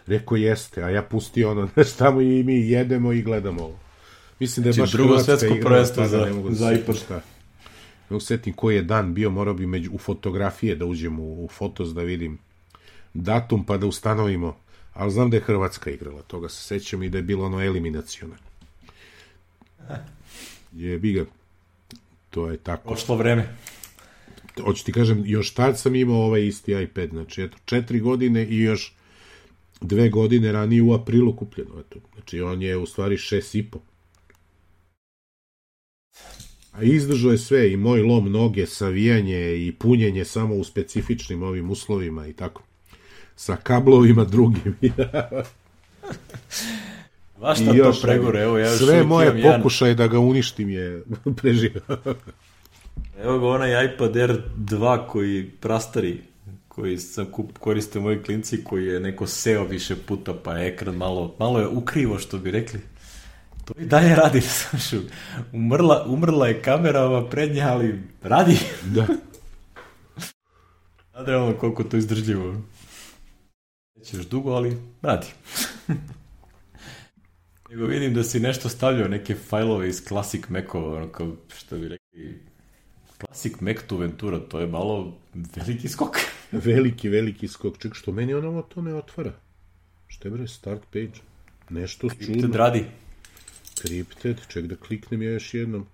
Rekao, jeste, a ja pustio ono, znaš, tamo i mi jedemo i gledamo ovo. Mislim da je baš drugo Hrvatska svetsko igra, prvenstvo za iPad. šta. Ne usetim koji je dan bio, morao bi u fotografije da uđem u Fotos da vidim datum pa da ustanovimo, ali znam da je Hrvatska igrala, toga se sećam i da je bilo ono eliminacione. Jebi ga. To je tako. Prošlo vreme. Hoću ti kažem, još tad sam imao ovaj isti iPad, znači eto, 4 godine i još 2 godine ranije u aprilu kupljeno, eto. Znači on je u stvari 6,5. A izdržao je sve, i moj lom noge, savijanje i punjenje samo u specifičnim ovim uslovima i tako. Sa kablovima drugim. Vaš šta to pregore, evo ja još sve moje pokušaje da ga uništim je preživao. Evo ga onaj iPad Air 2 koji prastari, koji sam koriste moji klinci, koji je neko seo više puta, pa je ekran malo je ukrivo, što bi rekli. To i dalje radi, znaš, umrla je kamera prednja, ali radi. Da. Nadrealno koliko to izdržljivo. Nećeš dugo, ali radi. Nego vidim da si nešto stavljao, neke fajlove iz Classic Mac-ova, ono kao, što bi rekli, Classic Mac to Ventura, to je malo veliki skok. Veliki skok. Ček, što meni ono to ne otvara? Što je bre, start page? Nešto čudno. Crypted radi. Crypted, ček da kliknem ja još jednom.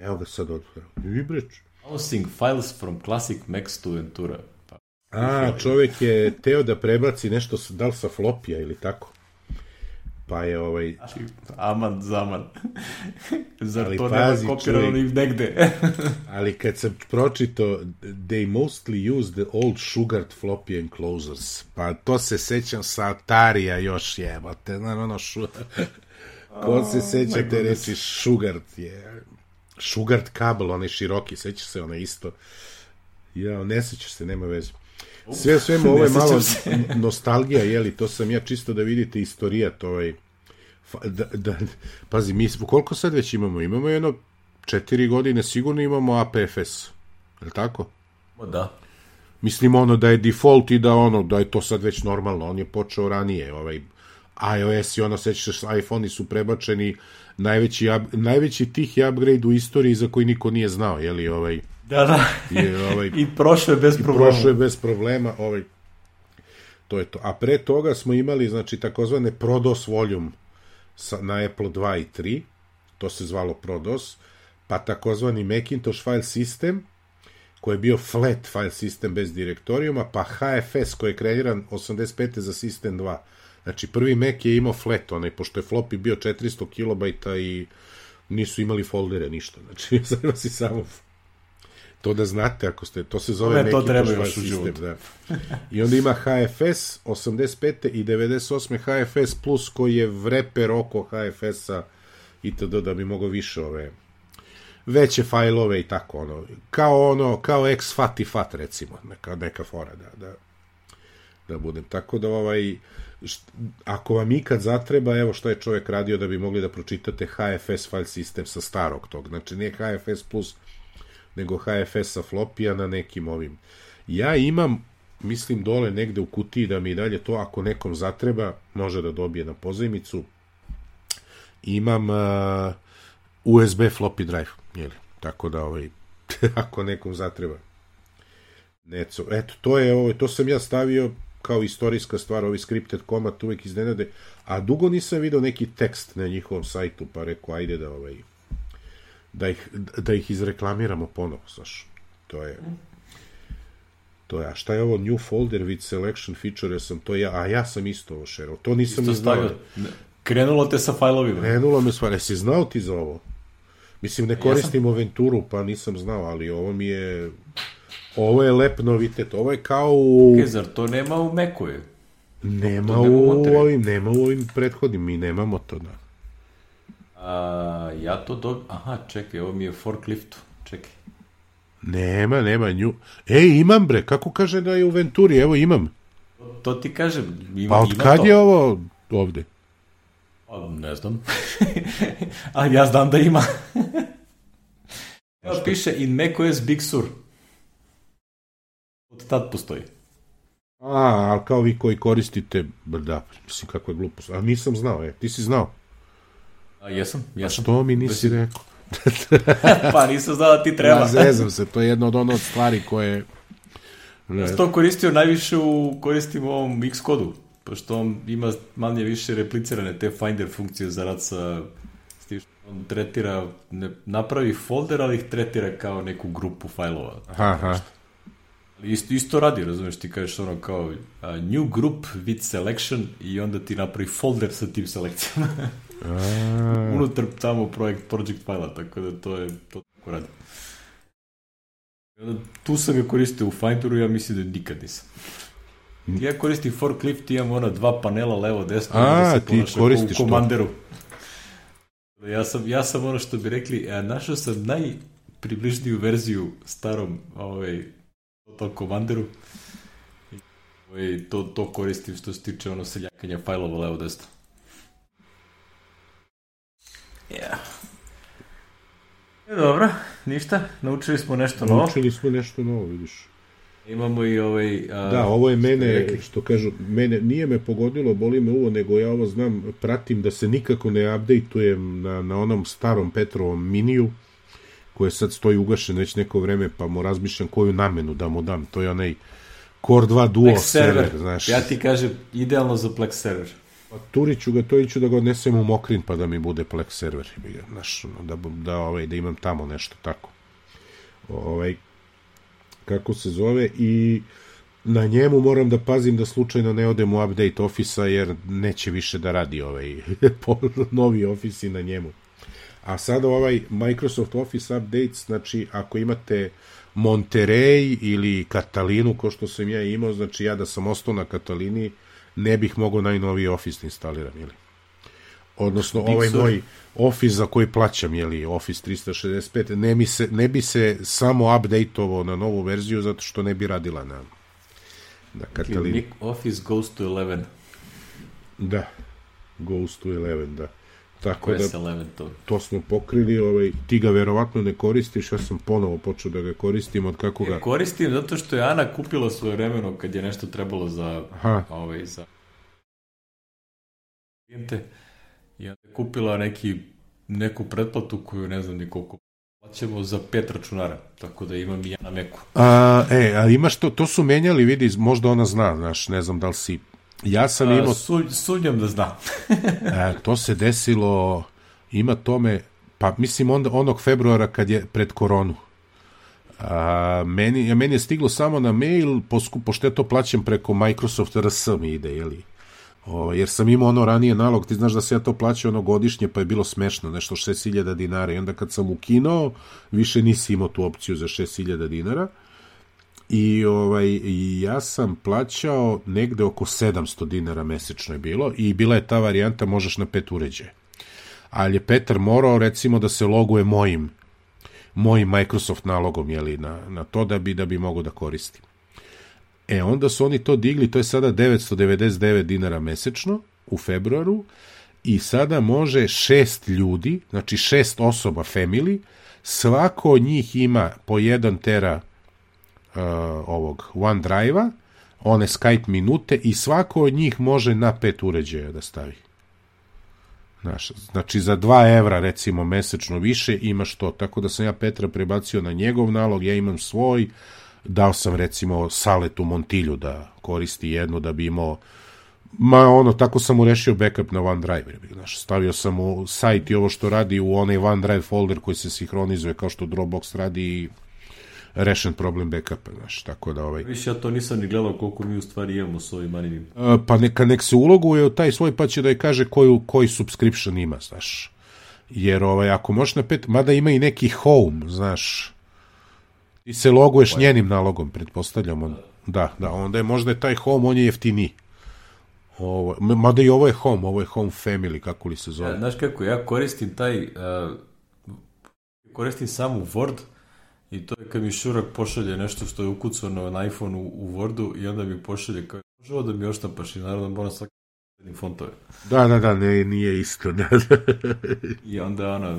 Evo ga sad otvara. Vibreć. Browsing files from Classic Mac to Ventura. Čovek je teo da prebaci nešto, da li sa flopija ili tako. Pa je Aman zaman. Zar ali to pazi, nema kopirano ni negde? Ali kad sam pročito they mostly use the old sugared floppy enclosures, pa to se sećam sa Atarija još jebate, ko se sećate reći sugared je sugared kabel, onaj široki, sećaš se, onaj isto, ja ne sećaš se, nema veze. Svemu ovo je malo nostalgija, jeli, to sam ja čisto da vidite istorijat pazi, mi koliko sad već imamo? Imamo jedno 4 godine, sigurno imamo APFS, je li tako? Da. Mislim da je default i da je to sad već normalno, on je počeo ranije, iOS i sećaš, iPhone-i su prebačeni, najveći tih je upgrade u istoriji za koji niko nije znao, jeli, Da. I prošlo je bez problema. To je to. A pre toga smo imali, znači, takozvane ProDOS volume na Apple 2 i 3. To se zvalo ProDOS. Pa takozvani Macintosh file system, koji je bio flat file system bez direktorijuma, pa HFS, koji je kreiran 85. za System 2. Znači, prvi Mac je imao flat, pošto je floppy bio 400 kilobajta i nisu imali foldere, ništa. Znači, sada si samo... To da znate, ako ste, to se zove Macintosh file system, da. I onda ima HFS 85. i 98. HFS plus, koji je wrapper oko HFS-a itd. Da bi mogao više veće fajlove i tako, kao XFAT i FAT, recimo, neka fora, da budem. Tako da, ako vam ikad zatreba, evo što je čovjek radio da bi mogli da pročitate HFS file system sa starog tog, znači nije HFS plus, nego HFS sa flopija na nekim ovim. Ja imam, mislim, dole negde u kutiji da mi dalje to, ako nekom zatreba, može da dobije na pozajmicu. Imam USB floppy drive, jeli? Tako da, ako nekom zatreba. Eto, to sam ja stavio kao istorijska stvar, ovi scripted komad uvek iznenade, a dugo nisam video neki tekst na njihovom sajtu, pa rekao, ajde da ih izreklamiramo ponovo, znaš. To je, a šta je ovo new folder with selection feature, ja sam isto ovo šerao, to nisam ni znao. Krenulo te sa fajlovima. Krenulo me stvar, jesi znao ti za ovo? Mislim, ne koristim Oventuru, pa nisam znao, ali ovo je lep novitet, ovo je kao zar to nema u Macu? Nema u ovim prethodnim, mi nemamo to, da. Ja to čekaj, ovo mi je forklift, čekaj. Nema nju. Imam bre, kako kaže da je u Venturi, evo imam. to ti kažem. Pa od kad je ovo ovde? Ne znam. Ali ja znam da ima. Evo piše in macOS Big Sur. Od tad postoji. Ali kao vi koji koristite, da, mislim kako je glupost. A nisam znao, ti si znao. Jesam. Što mi nisi rekao? Pa nisam znao da ti treba. Zezam se, to je jedna od ono stvari koje... Ja sam to koristio najviše koristim u ovom Xcodu, pošto on ima manje više replicirane te Finder funkcije za rad sa... On tretira, napravi folder, ali ih tretira kao neku grupu fajlova. Aha. Isto radi, razumiješ, ti kažeš ono kao new group with selection i onda ti napravi folder sa tim selekcijama. Unutar tamo project fajla, tako da to tako radi. Tu sam ga koristio u Finderu, ja mislim da nikad nisam. Ja koristim forklift, imam ona 2 panela levo, desno, da se ponaša u komanderu. Ja sam ono što bi rekli, našao sam najpribližniju verziju starom to komanderu. To koristim što se tiče ono seljakanja fajlova levo, desno. Dobro, ništa, naučili smo nešto novo. Vidiš. Imamo i da, ovo je mene, što kažu, nije me pogodilo, boli me uvo, nego ja ovo znam, pratim da se nikako ne updateujem na onom starom Petrovom miniju, koje sad stoji ugašen već neko vreme, pa mu razmišljam koju namenu da mu dam. To je onaj Core 2 Duo server, znaš. Ja ti kažem, idealno za Plex server. Pa turiću ga, to iću da ga odnesem u Mokrin, pa da mi bude Plex server. Znaš, da imam tamo nešto tako. Kako se zove, i na njemu moram da pazim da slučajno ne odem u update Office-a, jer neće više da radi novi Office na njemu. A sada Microsoft Office Updates, znači ako imate Monterey ili Katalinu, ko što sam ja imao, znači ja da sam ostao na Katalini, ne bih mogao najnoviji Office da instaliram, jeli? Odnosno, moj Office za koji plaćam, jeli, Office 365, ne bi se samo update-ovo na novu verziju, zato što ne bi radila na Katalini. Office goes to 11. Da, goes to 11, da. Tako da, 11, to smo pokrili, ti ga verovatno ne koristiš, ja sam ponovo počeo da ga koristim od kako ga... Koristim zato što je Ana kupila svoje vremeno kad je nešto trebalo za klijente i onda je kupila neku pretplatu koju ne znam ni koliko plaćamo za 5 računara, tako da imam i ja na Macu. A imaš to su menjali, vidi, možda ona zna, znaš, ne znam da li si... Ja sam imao... Sumnjam da zna. To se desilo, ima tome, pa mislim onog februara kad je pred koronu. Meni je stiglo samo na mail, pošto ja to plaćam preko Microsoft RS mi ide, jeli? Jer sam imao ono ranije nalog, ti znaš da se ja to plaćao godišnje, pa je bilo smešno, nešto 6.000 dinara, i onda kad sam ukinuo, više nisi imao tu opciju za 6.000 dinara. I ja sam plaćao negde oko 700 dinara mesečno je bilo, i bila je ta varijanta možeš na 5 uređaja. Ali je Petar morao recimo da se loguje mojim Microsoft nalogom, jeli, na to da bi mogao da koristim. Onda su oni to digli, to je sada 999 dinara mesečno u februaru, i sada može 6 ljudi, znači 6 osoba family, svako od njih ima po 1 tera ovog OneDrive-a, one Skype minute, i svako od njih može na 5 uređaja da stavi. Znači za 2 evra recimo mesečno više imaš to, tako da sam ja Petra prebacio na njegov nalog, ja imam svoj, dao sam recimo Saletu Montilju da koristi jednu, da bi imao tako sam mu rešio backup na OneDrive, stavio sam u sajt i ovo što radi u onaj OneDrive folder koji se sinhronizuje kao što Dropbox radi, i rešen problem backupa, tako da Više ja to nisam ni gledao koliko mi u stvari imamo s ovim maninim. Pa nek se uloguje u taj svoj, pa će da je kaže koji subscription ima, znaš. Jer ako možeš na 5, mada ima i neki home, znaš, ti se loguješ njenim nalogom, pretpostavljamo. Da, onda je možda taj home, on je jeftiniji. Mada i ovo je home family, kako li se zove. Znaš kako, ja koristim koristim samo Word, i to je kad mi Šurak pošalje nešto što je ukucano na iPhone u Wordu, i onda mi pošalje kao Možemo da mi oštampaš i naravno moram svaki fontove. Da, nije isto. I onda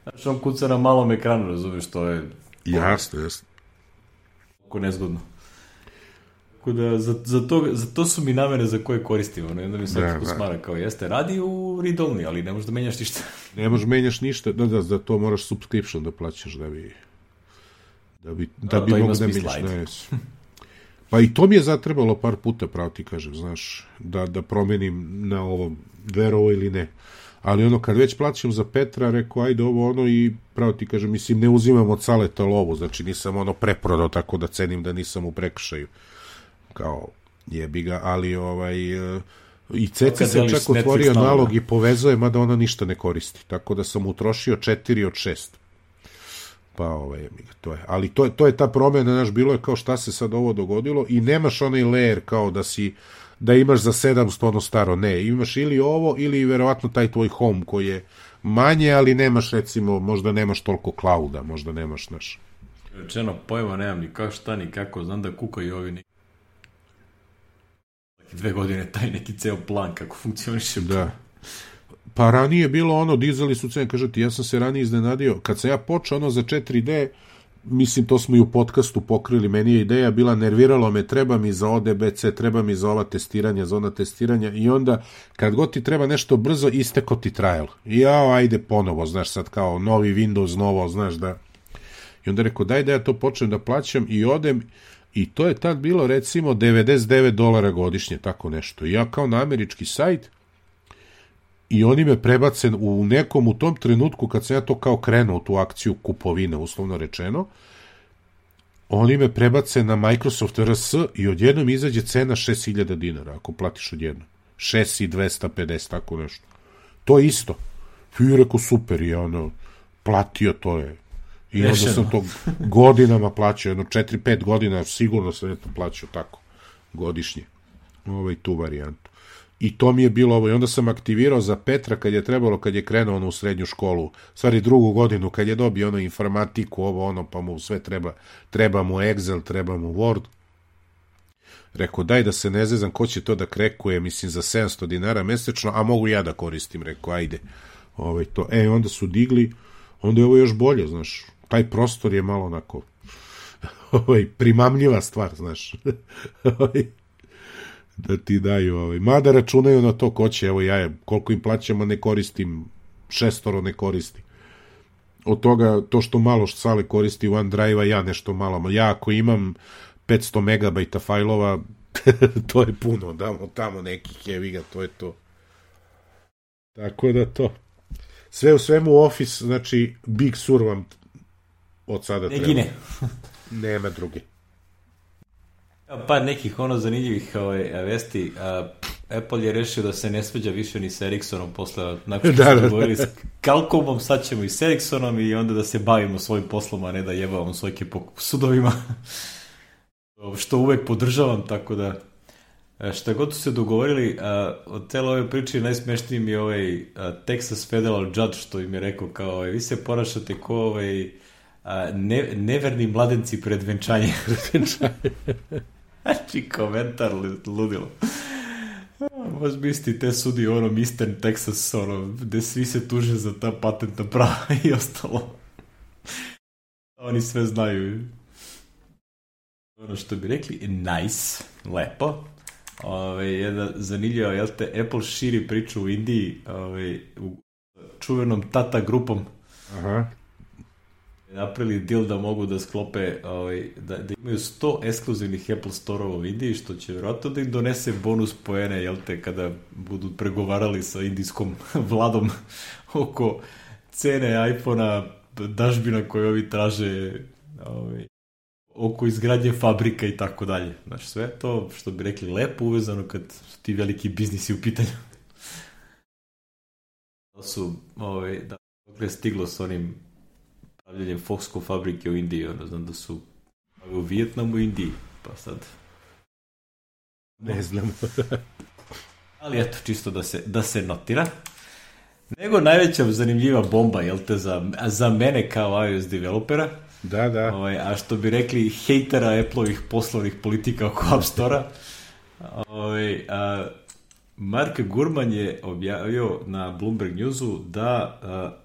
znaš, on kuca na malom ekranu, razumiješ, to je... Jasno. Ako nezgodno. Tako da, za to su mi namere za koje koristimo. I onda mi svaki smara kao jeste, radi u read-only, ali ne možeš da menjaš ništa. Ne možeš menjaš ništa, za to moraš subscription da plaćaš da bi mogu da menjaš. Pa i to mi je zatrebalo par puta, pravo ti kažem, znaš, da promenim na ovom, verovo ili ne. Ali kad već plaćam za Petra, rekao, ajde ovo i pravo ti kažem, mislim, ne uzimam od Saleta lovu, znači nisam preprodao, tako da cenim da nisam u prekršaju. Kao, jebi ga, ali i Ceci se čak otvorio nalog i povezuje, mada ona ništa ne koristi. Tako da sam utrošio 4 od 6. Pa to je. Ali to je ta promjena, znaš, bilo je kao šta se sad ovo dogodilo i nemaš onaj layer kao da imaš za 700 staro, ne, imaš ili ovo ili verovatno taj tvoj home koji je manje, ali nemaš recimo, možda nemaš toliko clouda, možda nemaš, znaš. Rečeno, pojma nemam ni kako šta, ni kako, znam da kukaju ovi 2 godine taj neki ceo plan kako funkcioniše. Da. Pa ranije je bilo dizali su cene, kažete, ja sam se ranije iznenadio, kad sam ja počeo za 4D, mislim, to smo i u podcastu pokrili, meni je ideja bila, nerviralo me, treba mi za ODBC, treba mi za ova testiranja, za ona testiranja, i onda, kad god ti treba nešto brzo, isteko ti trial. I ajde ponovo, znaš, sad kao novi Windows, novo, znaš, da... I onda rekao, daj da ja to počnem da plaćam i odem, i to je tad bilo, recimo, $99 godišnje, tako nešto. I ja kao na američki sajt, i oni me prebace u tom trenutku kad sam ja to kao krenuo u tu akciju kupovine, uslovno rečeno, oni me prebace na Microsoft RS i odjednom izađe cena $6.000 ako platiš odjednom. 6.250, tako nešto. To je isto. I rekao, super, i platio to je. I onda sam to godinama plaćao, 4-5 godina sigurno sam je to plaćao tako, godišnje. Tu varijantu. I to mi je bilo ovo. I onda sam aktivirao za Petra kad je trebalo, kad je krenuo u srednju školu, stvari 2. godinu, kad je dobio informatiku, pa mu sve treba mu Excel, treba mu Word. Rekao, daj da se ne zezam, ko će to da krekuje, mislim, za $700 mesečno, a mogu ja da koristim. Rekao, ajde. To. Onda su digli, onda je ovo još bolje, znaš. Taj prostor je malo onako primamljiva stvar, znaš. Da ti daju, mada računaju na to ko će, ja koliko im plaćamo ne koristim, 6 ne koristi. Od toga, to što malo Sale koristi OneDrive-a, ja nešto malo. Ja ako imam 500 megabajta fajlova, to je puno, damo tamo nekih, evi ga, to je to. Tako da to. Sve u svemu Office, znači Big Sur vam od sada treba. Negine. Nema druge. Pa nekih zanimljivih vesti. Apple je rešio da se ne svađa više ni sa Ericssonom posle, nakon što smo govorili s Qualcommom, sad ćemo i s Ericssonom i onda da se bavimo svojim poslom, a ne da jebavamo svojke po sudovima. Što uvek podržavam, tako da šta god su se dogovorili, od cele ove priče najsmešniji mi je Texas Federal Judge, što im je rekao kao, vi se ponašate ko neverni mladenci pred venčanje. Znači, komentar ludilo. Možeš misliti, te sudi Eastern Texas, gde svi se tuže za ta patentna prava i ostalo. Oni sve znaju. Što bi rekli, nice, lepo. Jedna zanimljiva, jel te, Apple širi priču u Indiji, u čuvenom Tata grupom. Aha. Napravili deal da mogu da sklope, da imaju 100 ekskluzivnih Apple Store-ova u Indiji, što će vjerojatno da im donese bonus poene, jel te, kada budu pregovarali sa indijskom vladom oko cene iPhone-a, dažbina koje ovi traže, oko izgradnje fabrika i tako dalje. Znači, sve to, što bi rekli, lepo uvezano kad su ti veliki biznisi u pitanju. Da su, dakle, stiglo s onim pravljenjem Foxconn fabrike u Indiji, znam da su u Vijetnamu i Indiji, pa sad... Ne znam. Ali eto, čisto da se notira. Nego najveća zanimljiva bomba, jel te, za mene kao iOS developera. Da. A što bi rekli, hejtera Apple-ovih poslovnih politika oko App Store-a, Mark Gurman je objavio na Bloomberg Newsu da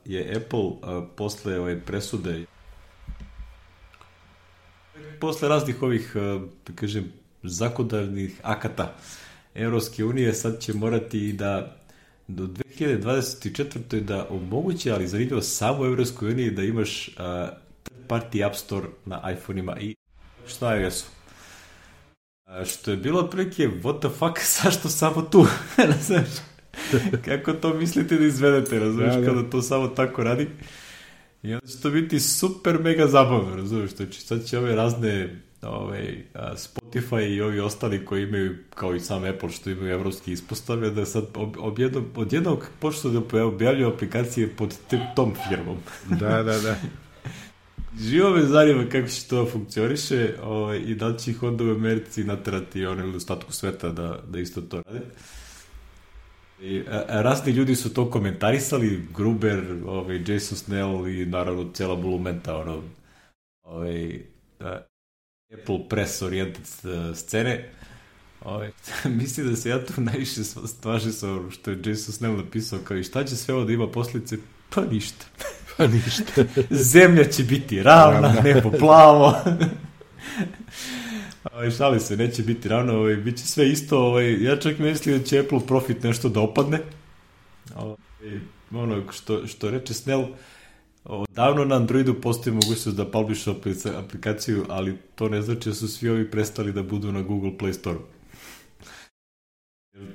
je Apple posle ove presude, posle raznih ovih, da kažem, zakonodavnih akata Evropske unije, sad će morati da do 2024. da omoguće, ali zanimljivo, samo u Evropskoj uniji da imaš third party App Store na iPhone-ima i šta je jesu. Što je bilo otprilike, what the fuck, zašto samo tu? Znaš, kako to mislite da izvedete, razumiješ, kada to samo tako radi? I onda će to biti super mega zabavno, razumiješ, znači sad će ove razne Spotify i ovi ostali koji imaju, kao i sam Apple što imaju evropski ispostave, da sad odjednog počnu da objavljuju aplikacije pod tom firmom. Da. Živo me zanima kako će to funkcioniše i da li će ih onda u Americi naterati ili ostatku sveta da isto to rade. I, razni ljudi su to komentarisali, Gruber, Jason Snell i naravno cijela bulumenta Apple press oriented scene. Mislim da se ja tu najviše stvažim sa ono što je Jason Snell napisao, kao i šta će sve ovo da ima posljedice? Pa ništa. Zemlja će biti ravna, nebo plavo. Šali se, neće biti ravno, bit će sve isto. Ja čak mislim da će Apple profit nešto da opadne. Ono što reče Snell, davno na Androidu postoji mogućnost da publish aplikaciju, ali to ne znači da su svi ovi prestali da budu na Google Play Store.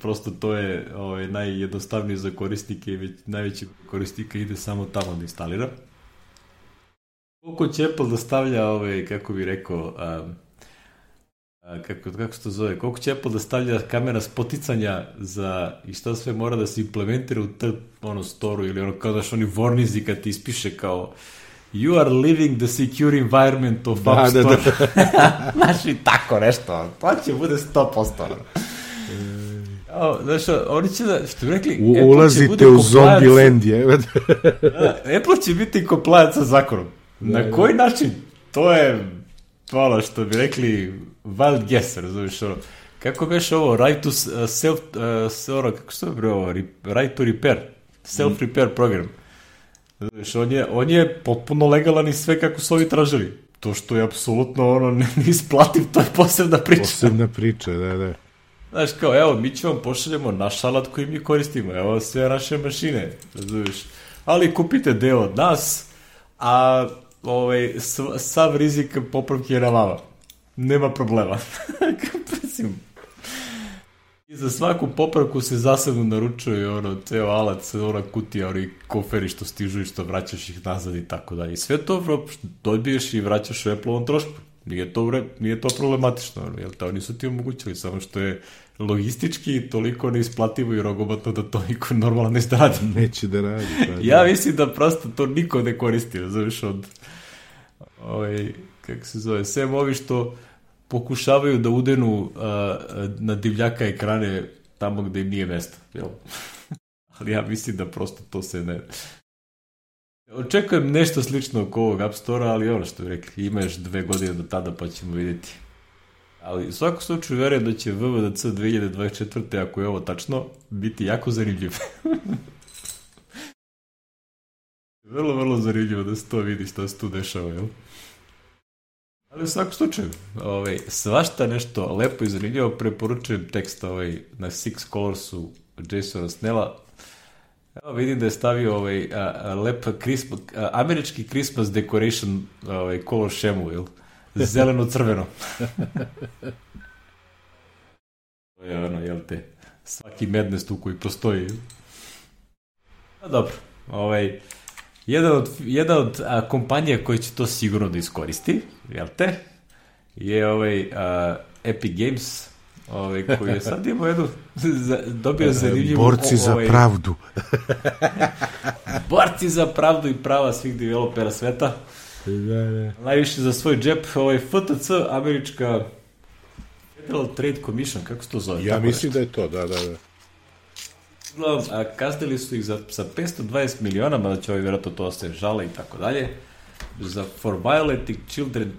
Prosto to je najjednostavnije za korisnike i najveći korisnika ide samo tamo da instalira. Koliko će Apple da stavlja kako bi rekao, kako se to zove, koliko će Apple da stavlja kamera spoticanja i šta sve mora da se implementira u storu ili kao daš oni vornizi kad ti ispiše kao you are living the secure environment of App Store. Znaš i tako nešto, to će bude 100%. Znaš, oni će da, što bi rekli, ulazite u zombie land, je. Apple će biti compliant sa zakonom. Na koji način? To je ono što bi rekli wild guess, razumiješ, kako beš ovo, right to self, kako se to ovo, right to repair, self-repair program. Znaš, on je potpuno legalan i sve kako su ovi tražili. To što je apsolutno neisplativ, to je posebna priča. Posebna priča, da. Znaš, kao, evo, mi ćemo pošaljemo naš alat koji mi koristimo, evo sve naše mašine, razumiješ, ali kupite deo od nas, a sav rizik popravke je na vama. Nema problema. I za svaku popravku se zasebno naručuje ceo alat, kutija, koferi što stižu i što vraćaš ih nazad i tako dalje. I sve to dobiješ i vraćaš u Apple-ovom trošku. Nije to problematično, jer to oni su ti omogućili, samo što je logistički toliko neisplativo i rogobatno da to niko normalno ne radi. Neće da radi. Ja mislim da prosto to niko ne koristi, razumiješ, kako se zove, sem ovi što pokušavaju da udenu na divljaka ekrane tamo gde im nije mesto, jel? Ali ja mislim da prosto to se ne... Očekujem nešto slično oko ovog App Store-a, ali ono što bi rekli, ima još 2 godine do tada pa ćemo vidjeti. Ali u svakom slučaju verujem da će WWDC 2024. ako je ovo tačno, biti jako zanimljiv. Vrlo, vrlo zanimljivo da se to vidi šta se tu dešava, jel? Ali u svakom slučaju, svašta nešto lepo i zanimljivo, preporučujem tekst na Six Colorsu Jasona Snella. Evo vidim da je stavio lep američki Christmas decoration color šemu, jel? Zeleno-crveno. To je jel te, svaki Madness tu koji postoji. A dobro, jedna od kompanija koja će to sigurno da iskoristi, jel te, je Epic Games, koji je sad imao jednu, dobio zanimljivu... Borci za pravdu. Borci za pravdu i prava svih developera sveta. Najviše za svoj džep, FTC, američka Federal Trade Commission, kako se to zove? Ja mislim da je to, da. Kaznili su ih sa 520 miliona, mada će vjerojatno to se žale i tako dalje, for violating children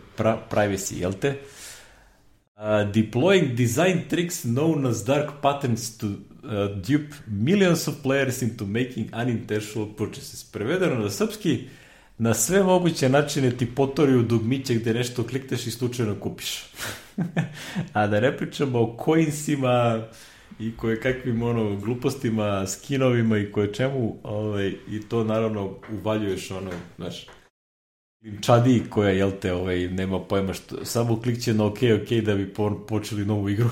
privacy, jel te? Deploying design tricks known as dark patterns to dupe millions of players into making unintentional purchases. Prevedeno na srpski, na sve moguće načine ti potori u dugmiće gde nešto klikneš i slučajno kupiš. A da ne pričamo o coinsima i koje kakvim glupostima, skinovima i koje čemu, i to naravno uvaljuješ znaš, čadi koja, jel te, nema pojma što, samo klikće na ok da bi počeli novu igru.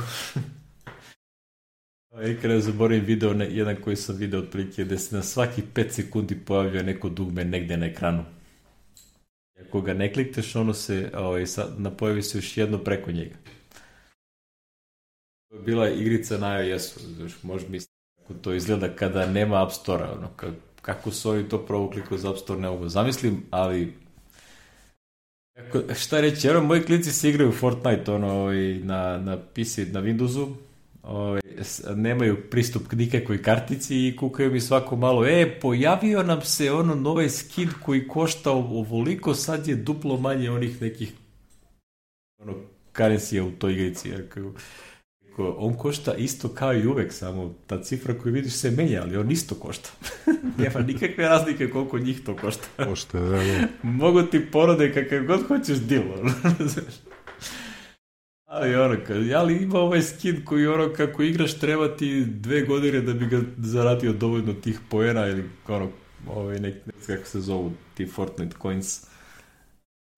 Kada zaboravim video, jedan koji sam video otprilike, gde se na svaki 5 sekundi pojavljuje neko dugme negde na ekranu. Ako ga ne klikneš, ono se, pojavi se još jedno preko njega. To je bila igrica na iOS-u, možeš misliti kako to izgleda kada nema App Store-a, kako su oni to provukli kroz App Store, ne mogu zamislim, ali šta reći, moji klinci se igraju Fortnite na PC, na Windowsu, nemaju pristup k nikakvoj kartici i kukaju mi svako malo, pojavio nam se novaj skin koji košta ovoliko, sad je duplo manje onih nekih karencija u toj igrici, jer on košta isto kao i uvek, samo ta cifra koju vidiš se menja, ali on isto košta. Nema nikakve razlike koliko njih to košta. Košta, da. Mogu ti porode kakav god hoćeš deal. Ali ima ovaj skin koji kako igraš treba ti 2 godine da bi ga zaradio dovoljno tih poena ili kako se zovu ti Fortnite coins,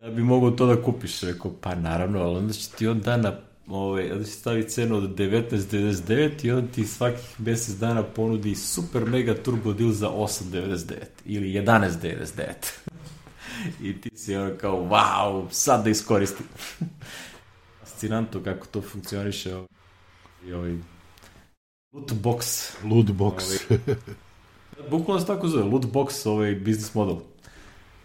da bi mogao to da kupiš. Rekao, pa naravno, ali onda će ti on dana onda će stavi cenu od 19.99 i onda ti svakih mjesec dana ponudi super mega turbo deal za 8.99 ili 11.99. I ti si kao, wow, sad da iskoristim. Fascinantno kako to funkcioniše. Loot box. Bukvalno se tako zove, loot box, business model.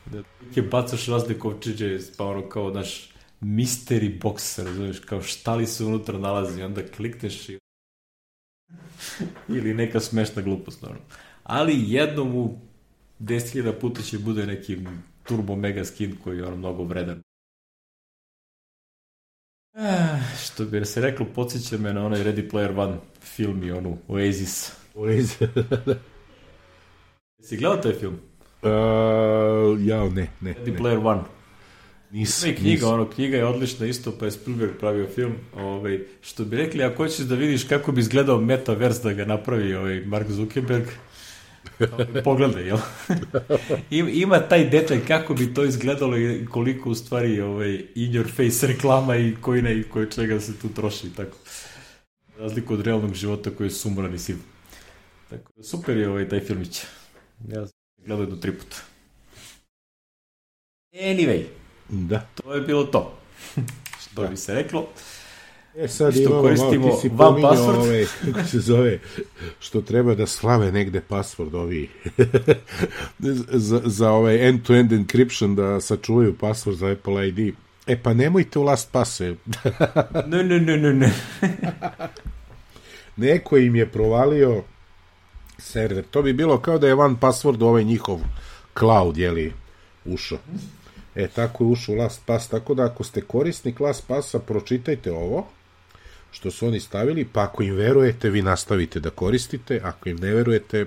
Da ti bacaš razne kovčiće, pa kao naš mystery box, razumiješ, kao šta li se unutra nalazi, onda klikneš i ili neka smešna glupost, naravno. Ali jednom u 10.000 puta će bude neki turbo mega skin koji je mnogo vredan. Što bi se reklo, podsjeća me na onaj Ready Player One film i Oasis. Jesi gledao taj film? Ne. Ready Player One. Nisam. Knjiga je odlična isto, pa je Spielberg pravio film. Što bi rekli, ako hoćeš da vidiš kako bi izgledao metaverse da ga napravi Mark Zuckerberg, pogledaj, jel? Ima taj detalj kako bi to izgledalo i koliko u stvari in your face reklama i koji čega se tu troši, tako. Razliku od realnog života koji je sumoran i siv. Tako, super je taj filmić. Ja sam gledao do 3 puta. Anyway, da. To je bilo to. Što bi se reklo. Sad imamo malo, ti si pominjao kako se zove, što treba da slave negde password za end-to-end encryption, da sačuvaju password za Apple ID. Pa nemojte u LastPass. Ne. Neko im je provalio server. To bi bilo kao da je OnePassword njihov cloud, ušao. Tako je ušao u LastPass, tako da ako ste korisnik LastPassa, pročitajte ovo što su oni stavili, pa ako im verujete, vi nastavite da koristite, ako im ne verujete...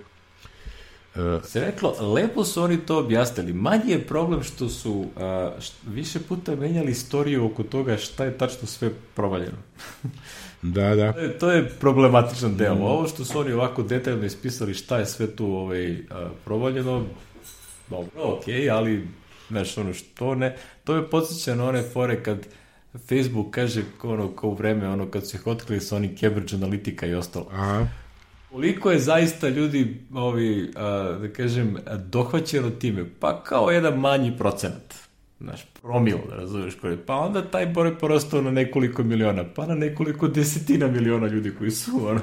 Se reklo, lepo su oni to objasnili. Manji je problem što su više puta menjali istoriju oko toga šta je tačno sve provaljeno. Da. To je problematičan deo. Ovo što su oni ovako detaljno ispisali šta je sve tu provaljeno, dobro, okej, ali znaš, što ne, to je podsjeća na one fore kad Facebook kaže kao u vreme, kad su ih otkrili sa onim Cambridge Analytica i ostalo. Aha. Koliko je zaista ljudi, da kažem, dohvaćeno time? Pa kao jedan manji procenat. Znaš, promil, da razumiješ koji. Pa onda taj broj porastao na nekoliko miliona, pa na nekoliko desetina miliona ljudi koji su,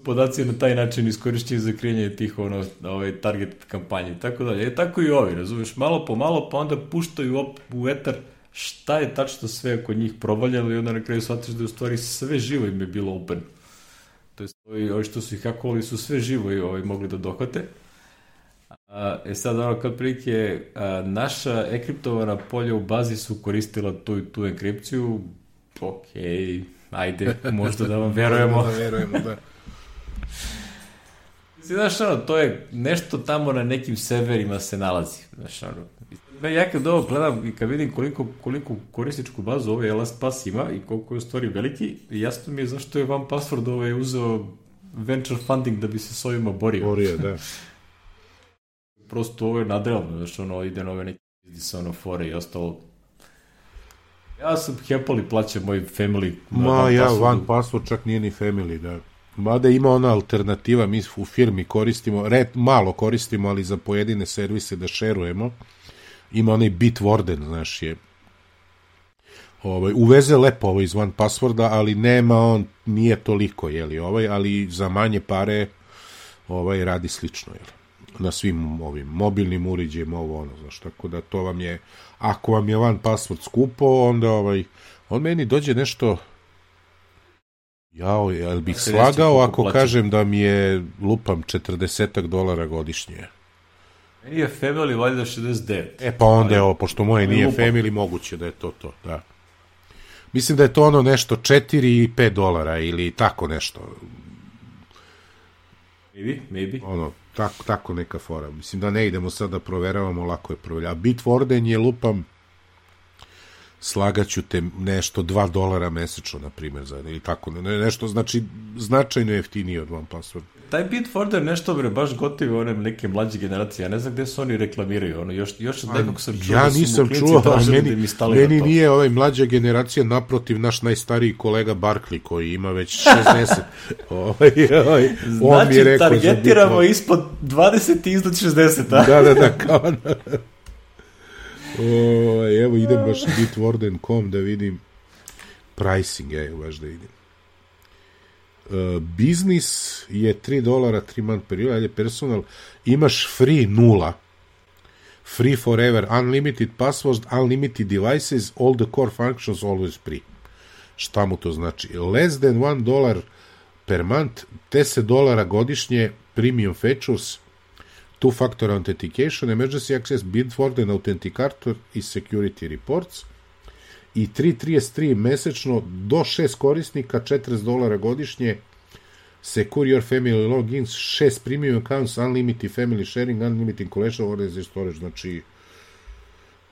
podaci na taj način iskorišćeni za krijanje tih target kampanje i tako dalje. Tako i ovi, razumiješ, malo po malo, pa onda puštaju u etar šta je tačno sve oko njih provaljalo i onda na kraju shvatiš da je u stvari sve živo im je bilo open. To jest, ovi što su ih hakovali su sve živo i mogli da dohvate. Sad kad prilike naša enkriptovana polja u bazi su koristila tu enkripciju, Okej, ajde, možda da vam verujemo. Da verujemo, da. Znaš, to je nešto tamo na nekim serverima se nalazi. Znaš, ja kad ovo gledam i kad vidim koliko korisničku bazu ovaj LastPass ima i koliko je u stvari veliki, jasno mi je zašto je OnePassword uzeo venture funding da bi se s ovima borio. Da. Prosto ovo je nadrealno, znaš, ide na ove neke biznisa, fore i ostalo. Ja sam happily plaćam moj family. OnePassword čak nije ni family, da. Mada ima ona alternativa, mi u firmi koristimo, malo koristimo, ali za pojedine servise da šerujemo. Ima onaj Bitwarden, znaš, uveze lepo iz OnePassworda, ali nije toliko, ali za manje pare radi slično, na svim ovim mobilnim uređajima, znaš, tako da to vam je, ako vam je OnePassword skupo, onda on meni dođe nešto, jel bih slagao ako kažem da mi je, lupam, $40 godišnje. Meni je family valjda 69. Pa onda je ovo, pošto moje nije family, moguće da je to, da. Mislim da je to nešto $4 i $5 ili tako nešto. Maybe. Tako neka fora. Mislim da ne idemo sad da proveravamo, lako je proveravati. A Bitwarden je, lupam, slagaću te nešto $2 mesečno, na primjer, ili tako, nešto, znači, značajno jeftinije od OnePassword. Taj Bitwarden nešto, baš gotivi one neke mlađe generacije, ja ne znam gde se oni reklamiraju, još od nekog sam čuo ja nisam čuo, meni nije mlađa generacija, naprotiv, naš najstariji kolega Barkley, koji ima već 60. Znači, targetiramo ispod 20 i iznad 60, a? Da, kao evo idem baš Bitwarden.com da vidim pricing, baš da vidim. Biznis je $3, 3 month period, ajde personal, imaš free 0, free forever, unlimited passwords, unlimited devices, all the core functions always free. Šta mu to znači? Less than $1 per month, $10 godišnje, premium features, two-factor authentication, emergency access, Bitwarden authenticator i security reports, i 3.33 mesečno do 6 korisnika, $40 godišnje, secure your family logins, 6 premium accounts, unlimited family sharing, unlimited collection, organized storage, znači